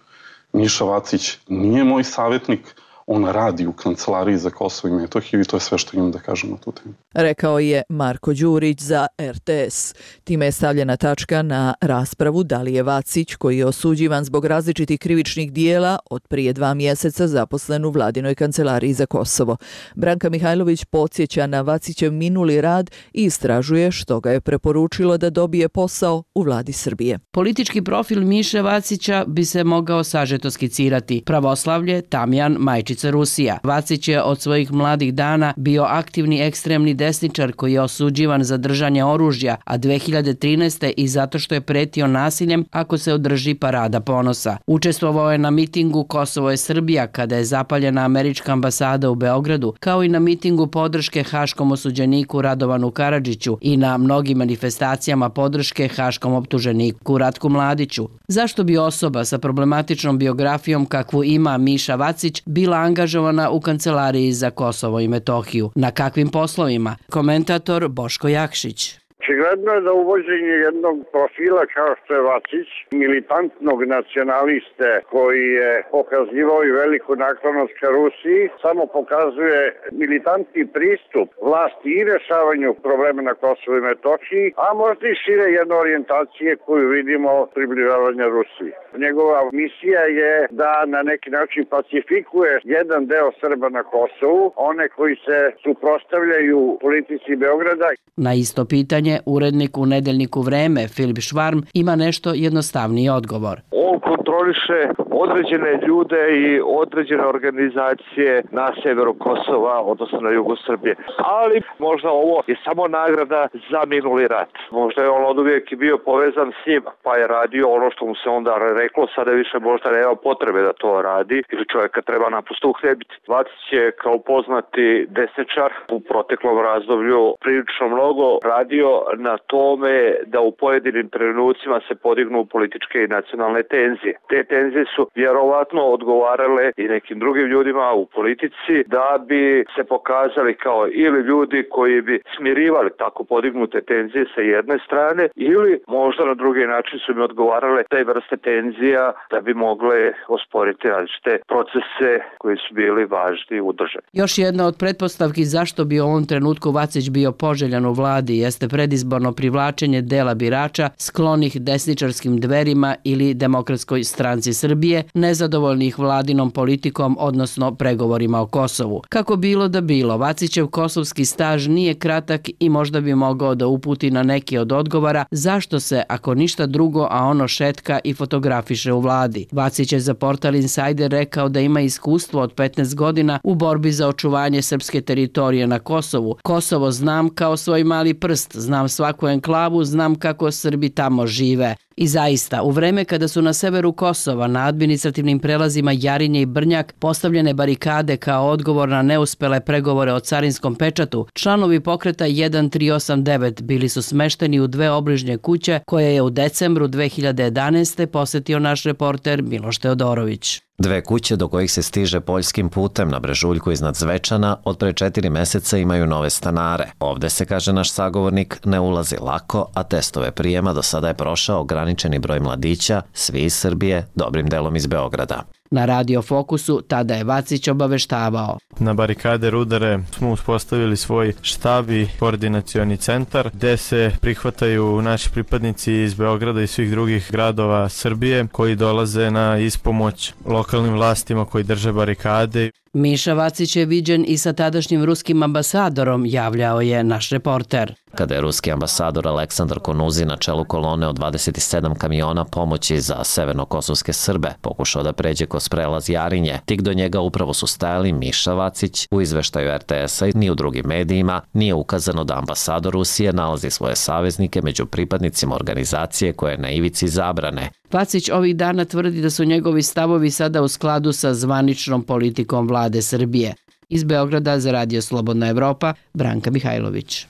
Miša Vacić nije moj savjetnik, on radi u Kancelariji za Kosovo i Metohiju i to je sve što imam da kažem na tu temu. Rekao je Marko Đurić za R T S. Time je stavljena tačka na raspravu da li je Vacić, koji je osuđivan zbog različitih krivičnih dijela, od prije dva mjeseca zaposlen u Vladinoj Kancelariji za Kosovo. Branka Mihajlović podsjeća na Vacićev minuli rad i istražuje što ga je preporučilo da dobije posao u vladi Srbije. Politički profil Miše Vacića bi se mogao sažeto skicirati. Pravoslavlje, tamjan, majčin domaćica Rusija. Vacić je od svojih mladih dana bio aktivni ekstremni desničar koji je osuđivan za držanje oružja, a dve hiljade trinaeste. i zato što je pretio nasiljem ako se održi parada ponosa. Učestvovao je na mitingu Kosovo je Srbija kada je zapaljena američka ambasada u Beogradu, kao i na mitingu podrške haškom osuđeniku Radovanu Karadžiću i na mnogim manifestacijama podrške haškom optuženiku Ratku Mladiću. Zašto bi osoba sa problematičnom biografijom kakvu ima Miša Vacić bila angažovana u kancelariji za Kosovo i Metohiju? Na kakvim poslovima? Komentator Boško Jakšić. Očigledno je da uvođenje jednog profila kao što je Vacić, militantnog nacionaliste koji je pokazivao i veliku naklonost ka Rusiji, samo pokazuje militantni pristup vlasti i rješavanju problema na Kosovu i Metohiji, a možda i šire jedne orijentacije koju vidimo približavanja Rusiji. Njegova misija je da na neki način pacifikuje jedan deo Srba na Kosovu, one koji se suprotstavljaju politici Beograda. Na isto pitanje urednik u nedeljniku Vreme Filip Švarm ima nešto jednostavniji odgovor. On kontroliše određene ljude i određene organizacije na severu Kosova, odnosno na jugu Srbije. Ali možda ovo je samo nagrada za minuli rat. Možda je on od uvijek bio povezan s njima, pa je radio ono što mu se onda reklo, sada više možda nema potrebe da to radi ili čovjeka treba naprosto uhljebiti. Vacić je kao poznati desničar u proteklom razdoblju prilično mnogo radio na tome da u pojedinim trenucima se podignu političke i nacionalne tenzije. Te tenzije su vjerovatno odgovarale i nekim drugim ljudima u politici da bi se pokazali kao ili ljudi koji bi smirivali tako podignute tenzije sa jedne strane ili možda na drugi način su im odgovarale te vrste tenzija da bi mogle osporiti različite procese koji su bili važni u državi. Još jedna od pretpostavki zašto bi u ovom trenutku Vacić bio poželjan u vladi jeste predizborno privlačenje dela birača sklonih desničarskim Dverima ili Demokratskoj stranci Srbije, nezadovoljnih vladinom politikom, odnosno pregovorima o Kosovu. Kako bilo da bilo, Vacićev kosovski staž nije kratak i možda bi mogao da uputi na neki od odgovora zašto se, ako ništa drugo, a ono šetka i fotografiše u vladi. Vacić je za portal Insider rekao da ima iskustvo od petnaest godina u borbi za očuvanje srpske teritorije na Kosovu. Kosovo znam kao svoj mali prst, znam svaku enklavu, znam kako Srbi tamo žive. I zaista, u vreme kada su na severu Kosova na administrativnim prelazima Jarinje i Brnjak postavljene barikade kao odgovor na neuspele pregovore o carinskom pečatu, članovi pokreta jedan tri osam devet bili su smešteni u dve obližnje kuće koje je u decembru dve hiljade jedanaeste. posetio naš reporter Miloš Teodorović. Dve kuće do kojih se stiže poljskim putem na Brežuljku iznad Zvečana od pre četiri meseca imaju nove stanare. Ovde se, kaže naš sagovornik, ne ulazi lako, a testove prijema do sada je prošao ograničeni broj mladića, svi iz Srbije, dobrim delom iz Beograda. Na Radio Fokusu tada je Vacić obaveštavao. Na barikade Rudare smo uspostavili svoj štab i koordinacioni centar gde se prihvataju naši pripadnici iz Beograda i svih drugih gradova Srbije koji dolaze na ispomoć lokalnim vlastima koji drže barikade. Miša Vacić je viđen i sa tadašnjim ruskim ambasadorom, javljao je naš reporter. Kada je ruski ambasador Aleksandar Konuzi na čelu kolone od dvadeset sedam kamiona pomoći za severnokosovske Srbe pokušao da pređe kroz prelaz Jarinje, tik do njega upravo su stajali Miša Vacić. U izveštaju er te esa ni u drugim medijima nije ukazano da ambasador Rusije nalazi svoje saveznike među pripadnicima organizacije koje je na ivici zabrane. Vacić ovih dana tvrdi da su njegovi stavovi sada u skladu sa zvaničnom politikom vlade Srbije. Iz Beograda za Radio Slobodna Evropa, Branka Mihajlović.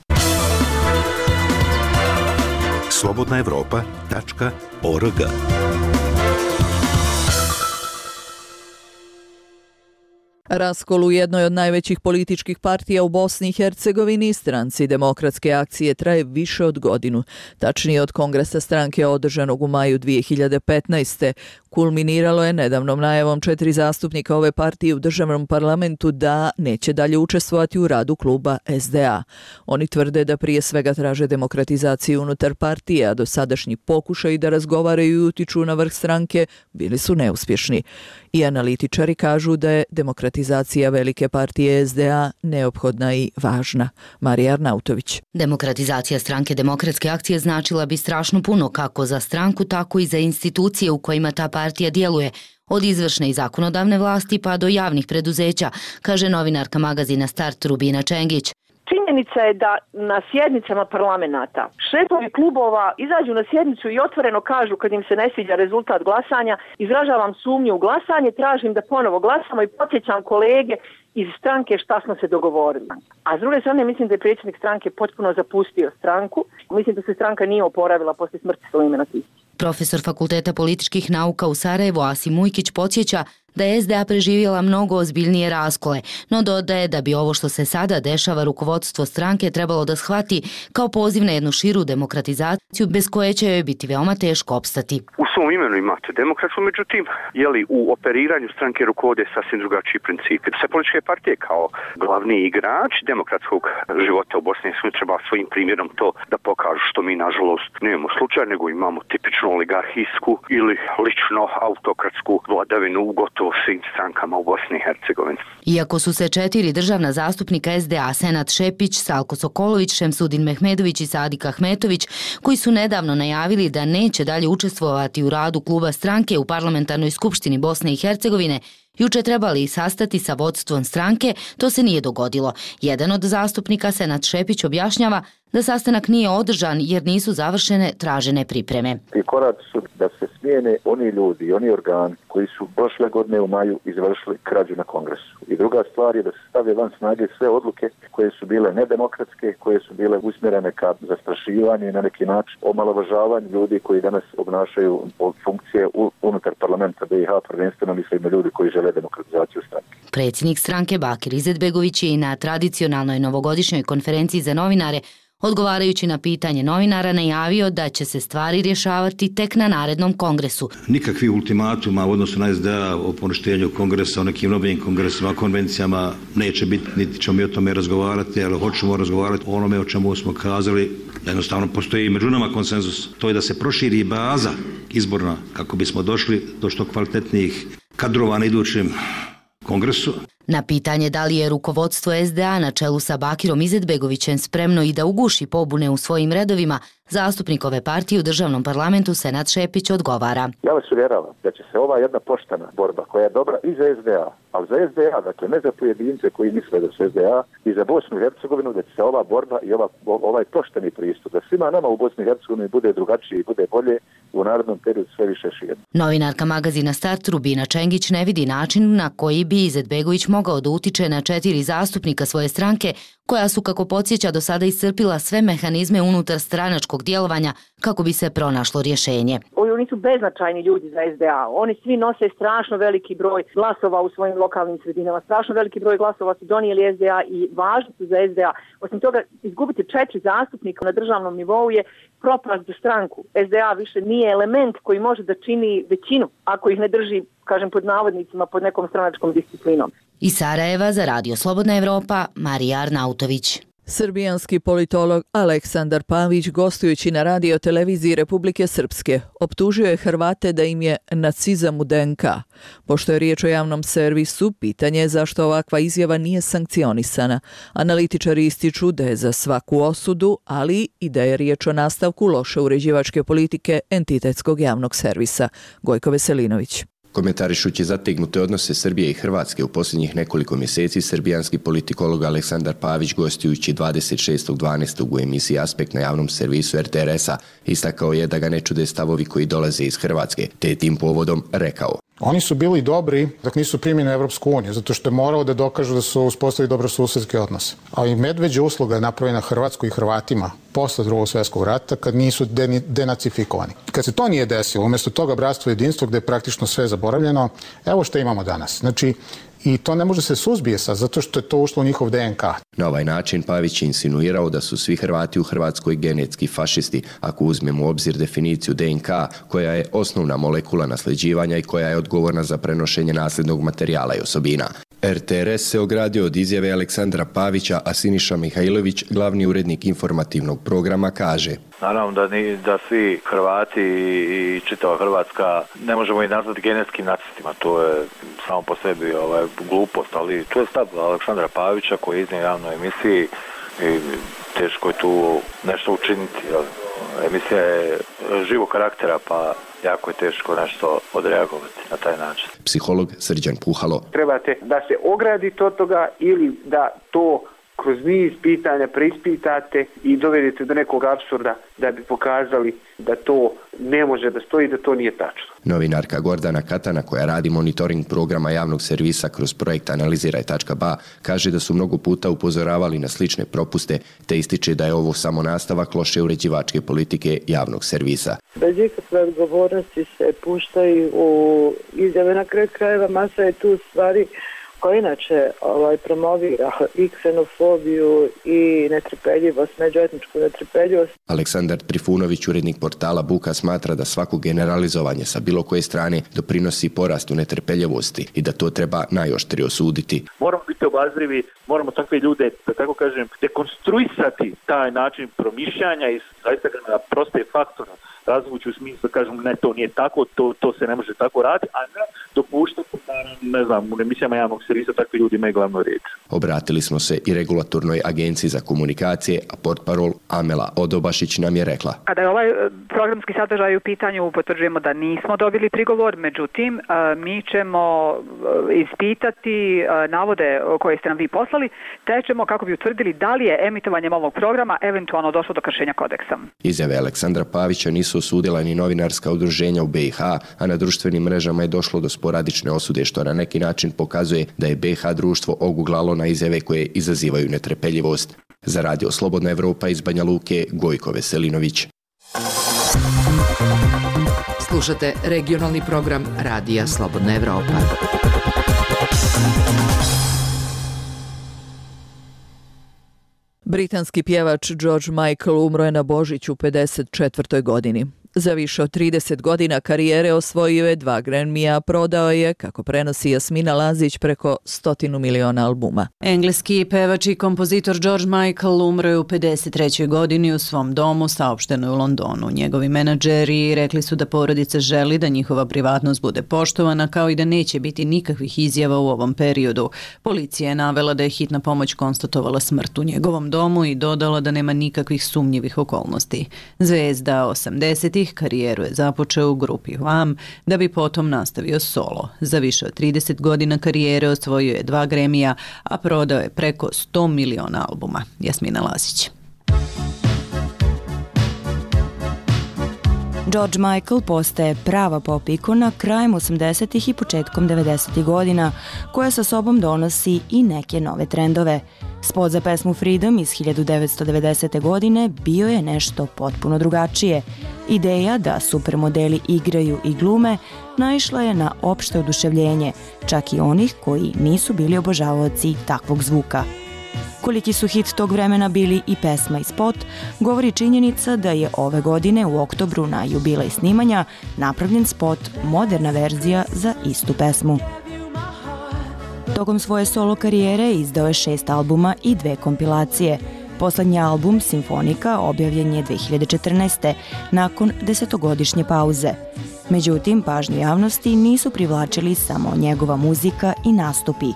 slobodna evropa tačka org Raskol u jednoj od najvećih političkih partija u Bosni i Hercegovini, Stranci demokratske akcije, traje više od godinu. Tačnije od kongresa stranke održanog u maju dvije hiljade petnaeste. Kulminiralo je nedavnom najavom četiri zastupnika ove partije u državnom parlamentu da neće dalje učestvovati u radu kluba es de a. Oni tvrde da prije svega traže demokratizaciju unutar partije, a dosadašnji pokušaji da razgovaraju i utiču na vrh stranke bili su neuspješni. I analitičari kažu da je demokratizacija velike partije es de a neophodna i važna. Marija Arnautović. Demokratizacija stranke demokratske akcije značila bi strašno puno kako za stranku, tako i za institucije u kojima ta partija djeluje. od izvršne i zakonodavne vlasti pa do javnih preduzeća, kaže novinarka magazina Start Rubina Čengić. Činjenica je da na sjednicama parlamenta šefovi klubova izađu na sjednicu i otvoreno kažu kad im se ne sviđa rezultat glasanja, izražavam sumnju u glasanje, tražim da ponovo glasamo i podsjećam kolege iz stranke šta smo se dogovorili. A s druge strane mislim da je predsjednik stranke potpuno zapustio stranku. Mislim da se stranka nije oporavila poslije smrti Sulejmana Tihića. Profesor Fakulteta političkih nauka u Sarajevu Asim Ujkić podsjeća da je S D A preživjela mnogo ozbiljnije raskole, no dodaje da bi ovo što se sada dešava rukovodstvo stranke trebalo da shvati kao poziv na jednu širu demokratizaciju bez koje će joj biti veoma teško opstati. U svom imenu imate demokratsku, međutim, jeli u operiranju stranke rukovode sasvim drugačiji principi. Sve političke partije kao glavni igrač demokratskog života u Bosni i Hercegovini treba svojim primjerom to da pokažu, što mi nažalost nemamo slučaj, nego imamo tipičnu oligarhijsku ili lično autokratsku vladavinu u gotovo svim strankama u Bosni i Hercegovini. Iako su se četiri državna zastupnika S D A, Senat Šepić, Salko Sokolović, Šemsudin Mehmedović i Sadik Ahmetović, koji su nedavno najavili da neće dalje učestvovati u radu kluba stranke u Parlamentarnoj skupštini Bosne i Hercegovine, juče trebali i sastati sa vodstvom stranke, to se nije dogodilo. Jedan od zastupnika, Senat Šepić, objašnjava da sastanak nije održan jer nisu završene tražene pripreme. Ti koraci su da se smijene oni ljudi i oni organi koji su prošle godine u maju izvršili krađu na kongresu. I druga stvar je da se stave van snage sve odluke koje su bile nedemokratske, koje su bile usmjerene ka zastrašivanju i na neki način omalovažavanju ljudi koji danas obnašaju funkcije unutar parlamenta B i H, prvenstveno mislim na ljudi koji žele demokratizaciju stranke. Predsjednik stranke Bakir Izetbegović je i na tradicionalnoj novogodišnjoj konferenciji za novinare, odgovarajući na pitanje novinara, najavio da će se stvari rješavati tek na narednom kongresu. Nikakvi ultimatuma u odnosu na S D A o poništenju kongresa, o nekim novim kongresima, konvencijama neće biti, niti ćemo mi o tome razgovarati, ali hoćemo razgovarati o onome o čemu smo kazali. Jednostavno postoji među nama konsenzus. To je da se proširi baza izborna kako bismo došli do što kvalitetnijih kadrova na idućem kongresu. Na pitanje da li je rukovodstvo S D A na čelu sa Bakirom Izetbegovićem spremno i da uguši pobune u svojim redovima, zastupnik ove partije u državnom parlamentu Senat Šepić odgovara. Ja vas uvjeravam da će se ova jedna poštena borba koja je dobra i za S D A, ali za S D A, dakle ne za pojedince koji misle da su S D A, i za Bosnu i Hercegovinu, da će se ova borba i ova, ovaj pošteni pristup da svima nama u Bosni i Hercegovini bude drugačije i bude bolje u narednom periodu sve više širno. Novinarka magazina Start Rubina Čengić ne vidi način na koji bi Izetbegović mogao da utiče na četiri zastupnika svoje stranke, koja su, kako podsjeća, do sada iscrpila sve mehanizme unutar stranačkog djelovanja kako bi se pronašlo rješenje. Oni su beznačajni ljudi za S D A. Oni svi nose strašno veliki broj glasova u svojim lokalnim sredinama. Strašno veliki broj glasova su donijeli S D A i važni su za S D A. Osim toga, izgubiti četiri zastupnika na državnom nivou je propast za stranku. S D A više nije element koji može da čini većinu ako ih ne drži, kažem pod navodnicima, pod nekom stranačkom disciplinom. Iz Sarajeva za Radio Slobodna Evropa, Marija Arnautović. Srbijanski politolog Aleksandar Pavić, gostujući na radio televiziji Republike Srpske, optužio je Hrvate da im je nacizam u D N K. Pošto je riječ o javnom servisu, pitanje je zašto ovakva izjava nije sankcionisana. Analitičari ističu da je za svaku osudu, ali i da je riječ o nastavku loše uređivačke politike entitetskog javnog servisa. Gojko Veselinović. Komentarišući zategnute odnose Srbije i Hrvatske u posljednjih nekoliko mjeseci, srbijanski politikolog Aleksandar Pavić, gostujući dvadeset šestog dvanaestog u emisiji Aspekt na javnom servisu R T R S-a, istakao je da ga ne čude stavovi koji dolaze iz Hrvatske, te je tim povodom rekao: Oni su bili dobri dok nisu primjeni Evropsku uniju, zato što je morao da dokažu da su uspostavili dobrosusedske odnose. Ali medveđa usluga je napravljena Hrvatskoj i Hrvatima posle drugog svjetskog rata kad nisu denacifikovani. Kad se to nije desilo, umjesto toga bratstvo i jedinstvo gdje je praktično sve zaboravljeno, evo što imamo danas. Znači, i to ne može se suzbije sad, zato što je to ušlo u njihov D N K. Na ovaj način Pavić je insinuirao da su svi Hrvati u Hrvatskoj genetski fašisti, ako uzmemo u obzir definiciju D N K, koja je osnovna molekula nasljeđivanja i koja je odgovorna za prenošenje nasljednog materijala i osobina. R T R S se ogradio od izjave Aleksandra Pavića, a Siniša Mihajlović, glavni urednik informativnog programa, kaže: Naravno da, ni, da svi Hrvati i čitava Hrvatska ne možemo i nazvati genetskim nacistima, to je samo po sebi ovaj, glupost, ali to je stav Aleksandra Pavića koji je iznio javnoj emisiji i teško je tu nešto učiniti. Emisija je živog karaktera, pa jako je teško nešto odreagovati na taj način. Psiholog Srđan Puhalo. Trebate da se ogradite od toga ili da to kroz niz pitanja preispitate i dovedete do nekog apsurda da bi pokazali da to ne može da stoji, da to nije tačno. Novinarka Gordana Katana, koja radi monitoring programa javnog servisa kroz projekt Analiziraj tačka ba, kaže da su mnogo puta upozoravali na slične propuste, te ističe da je ovo samo nastavak loše uređivačke politike javnog servisa. Bez ikakve odgovornosti se puštaju u izjave, na kraju krajeva masa je tu stvari koja inače ovaj, promovira i ksenofobiju i netrpeljivost, međuetničku netrpeljivost. Aleksandar Trifunović, urednik portala Buka, smatra da svako generalizovanje sa bilo koje strane doprinosi porastu netrpeljivosti i da to treba najoštrije osuditi. Moramo biti obazrivi, moramo takve ljude, da tako kažem, dekonstruisati taj način promišljanja i zaista na proste faktore razvući u smislu, kažem, ne, to nije tako, to, to se ne može tako raditi, a ne dopuštati da, ne znam, u emisijama javnog servisa takvi ljudi imaju glavnu riječ. Obratili smo se i Regulatornoj agenciji za komunikacije, a portparol Amela Odobašić nam je rekla. Kada je ovaj programski sadržaj u pitanju, potvrđujemo da nismo dobili prigovor, međutim, mi ćemo ispitati navode koje ste nam vi poslali, te ćemo kako bi utvrdili da li je emitovanjem ovog programa eventualno došlo do kršenja kodeksa. Izjave Aleksandra Pavića nisu osudila ni novinarska udruženja u be i ha, a na društvenim mrežama je došlo do sporadične osude, što na neki način pokazuje da je be i ha društvo oguglalo na izjave koje izazivaju netrpeljivost. Za Radio Slobodna Evropa iz Banja Luke, Gojko Veselinović. Slušate regionalni program Radija Slobodna Evropa. Britanski pjevač George Michael umro je na Božić u pedeset četvrtoj godini. Za više od trideset godina karijere osvojio je dva Grammy-a, prodao je, kako prenosi Jasmina Lazić, preko stotinu miliona albuma. Engleski pevač i kompozitor George Michael umro je u pedeset trećoj godini u svom domu, saopšteno je u Londonu. Njegovi menadžeri rekli su da porodica želi da njihova privatnost bude poštovana, kao i da neće biti nikakvih izjava u ovom periodu. Policija je navela da je hitna pomoć konstatovala smrt u njegovom domu i dodala da nema nikakvih sumnjivih okolnosti. Zvezda osamdesetih karijeru je započeo u grupi Wham, da bi potom nastavio solo. Za više od trideset godina karijere osvojio je dva Grammy-a, a prodao je preko sto miliona albuma. Jasmina Lazić. George Michael postaje prava pop ikona krajem osamdesetih i početkom devedesetih godina, koja sa sobom donosi i neke nove trendove. Spot za pesmu Freedom iz hiljadu devetsto devedesete. godine bio je nešto potpuno drugačije. Ideja da supermodeli igraju i glume naišla je na opšte oduševljenje, čak i onih koji nisu bili obožavaoci takvog zvuka. Koliki su hit tog vremena bili i pesma i spot, govori činjenica da je ove godine u oktobru na jubilej snimanja napravljen spot, moderna verzija za istu pesmu. Tokom svoje solo karijere izdao je šest albuma i dve kompilacije. Poslednji album, Simfonika, objavljen je dve hiljade četrnaeste. nakon desetogodišnje pauze. Međutim, pažnju javnosti nisu privlačili samo njegova muzika i nastupi.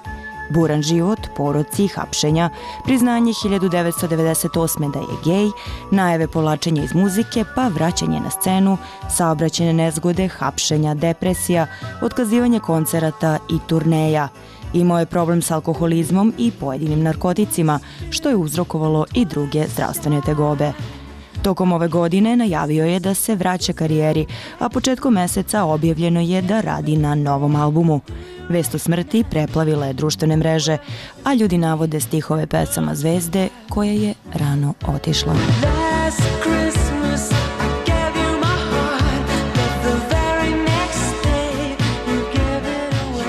Buran život, poroci, hapšenja, priznanje hiljadu devetsto devedeset osme. da je gej, najave povlačenja iz muzike, pa vraćanje na scenu, saobraćajne nezgode, hapšenja, depresija, otkazivanje koncerata i turneja. Imao je problem s alkoholizmom i pojedinim narkoticima, što je uzrokovalo i druge zdravstvene tegobe. Tokom ove godine najavio je da se vraća karijeri, a početkom meseca objavljeno je da radi na novom albumu. Vest o smrti preplavila je društvene mreže, a ljudi navode stihove pesama Zvezde, koja je rano otišla.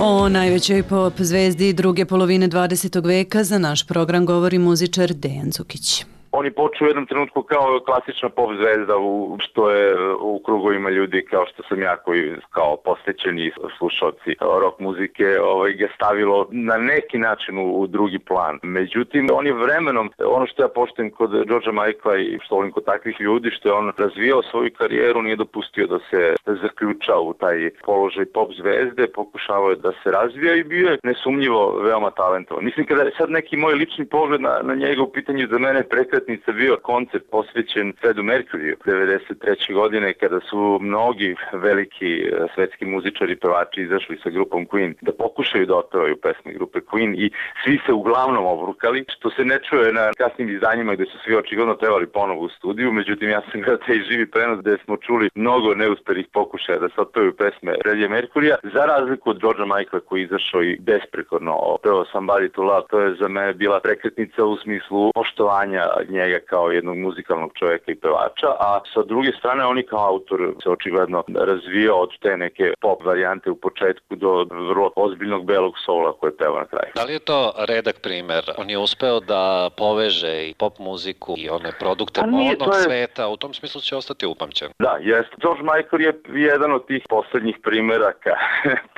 O najvećoj pop zvezdi druge polovine dvadesetog veka za naš program govori muzičar Dejan Cukić. On je počeo u jednom trenutku kao klasična pop zvezda, u, što je u krugovima ljudi kao što sam ja, koji kao posvećeni slušalci rock muzike, ovaj, ga stavilo na neki način u, u drugi plan. Međutim, on je vremenom, ono što ja poštujem kod Georgea Michaela i što volim kod takvih ljudi, što je on razvijao svoju karijeru, nije dopustio da se zaključa u taj položaj pop zvezde, pokušavao je da se razvija i bio je nesumnjivo veoma talentovan. Mislim, kada je sad neki moj lični pogled na, na njega u pitanju, za mene prekret prekretnica bio koncept posvećen Fredu Mercuryu devedeset treće godine kada su mnogi veliki svetski muzičari i pevači izašli sa grupom Queen da pokušaju da otpevaju pesme grupe Queen i svi se uglavnom obrukali, što se ne čuje na kasnim izdanjima gde su svi očigledno pevali ponovo u studiju, međutim ja sam gledao taj živi prenos gde smo čuli mnogo neuspelih pokušaja da se otpevaju pesme Freddie Mercurya, za razliku od Georgea Michaela koji je izašao i besprekorno opevao Somebody to Love. To je za mene bila prekretnica u smislu poštovanja njega kao jednog muzikalnog čovjeka i pevača, a sa druge strane oni kao autor se očigledno razvijao od te neke pop varijante u početku do vrlo ozbiljnog belog soula koje peva na kraju. Da li je to redak primer? On je uspeo da poveže i pop muziku i one produkte modnog je... sveta, u tom smislu će ostati upamćen. Da, jest. George Michael je jedan od tih poslednjih primeraka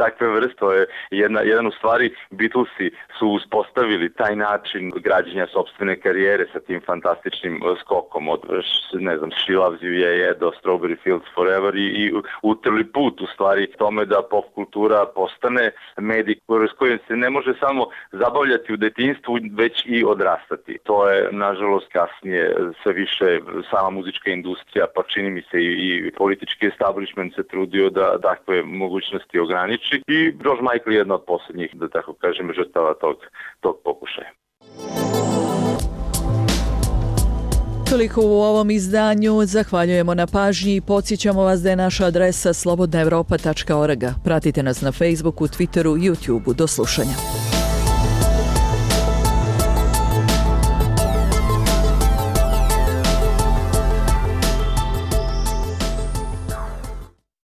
takve vrste. To je jedna, jedan u stvari Beatlesi su uspostavili taj način građenja sopstvene karijere sa tim fantastičnim skokom od, ne znam, She Loves You, Yeah, Yeah do Strawberry Fields Forever i, i utrli put u stvari tome da pop kultura postane medij s kojim se ne može samo zabavljati u detinjstvu, već i odrastati. To je, nažalost, kasnije sve više sama muzička industrija, pa čini mi se i, i politički establishment se trudio da takve mogućnosti ograniči i George Michael je jedna od posljednjih, da tako kažem, žrtava tog, tog pokušaja. Toliko u ovom izdanju. Zahvaljujemo na pažnji i podsjećamo vas da je naša adresa slobodna evropa tačka org. Pratite nas na Facebooku, Twitteru, YouTubeu. Do slušanja.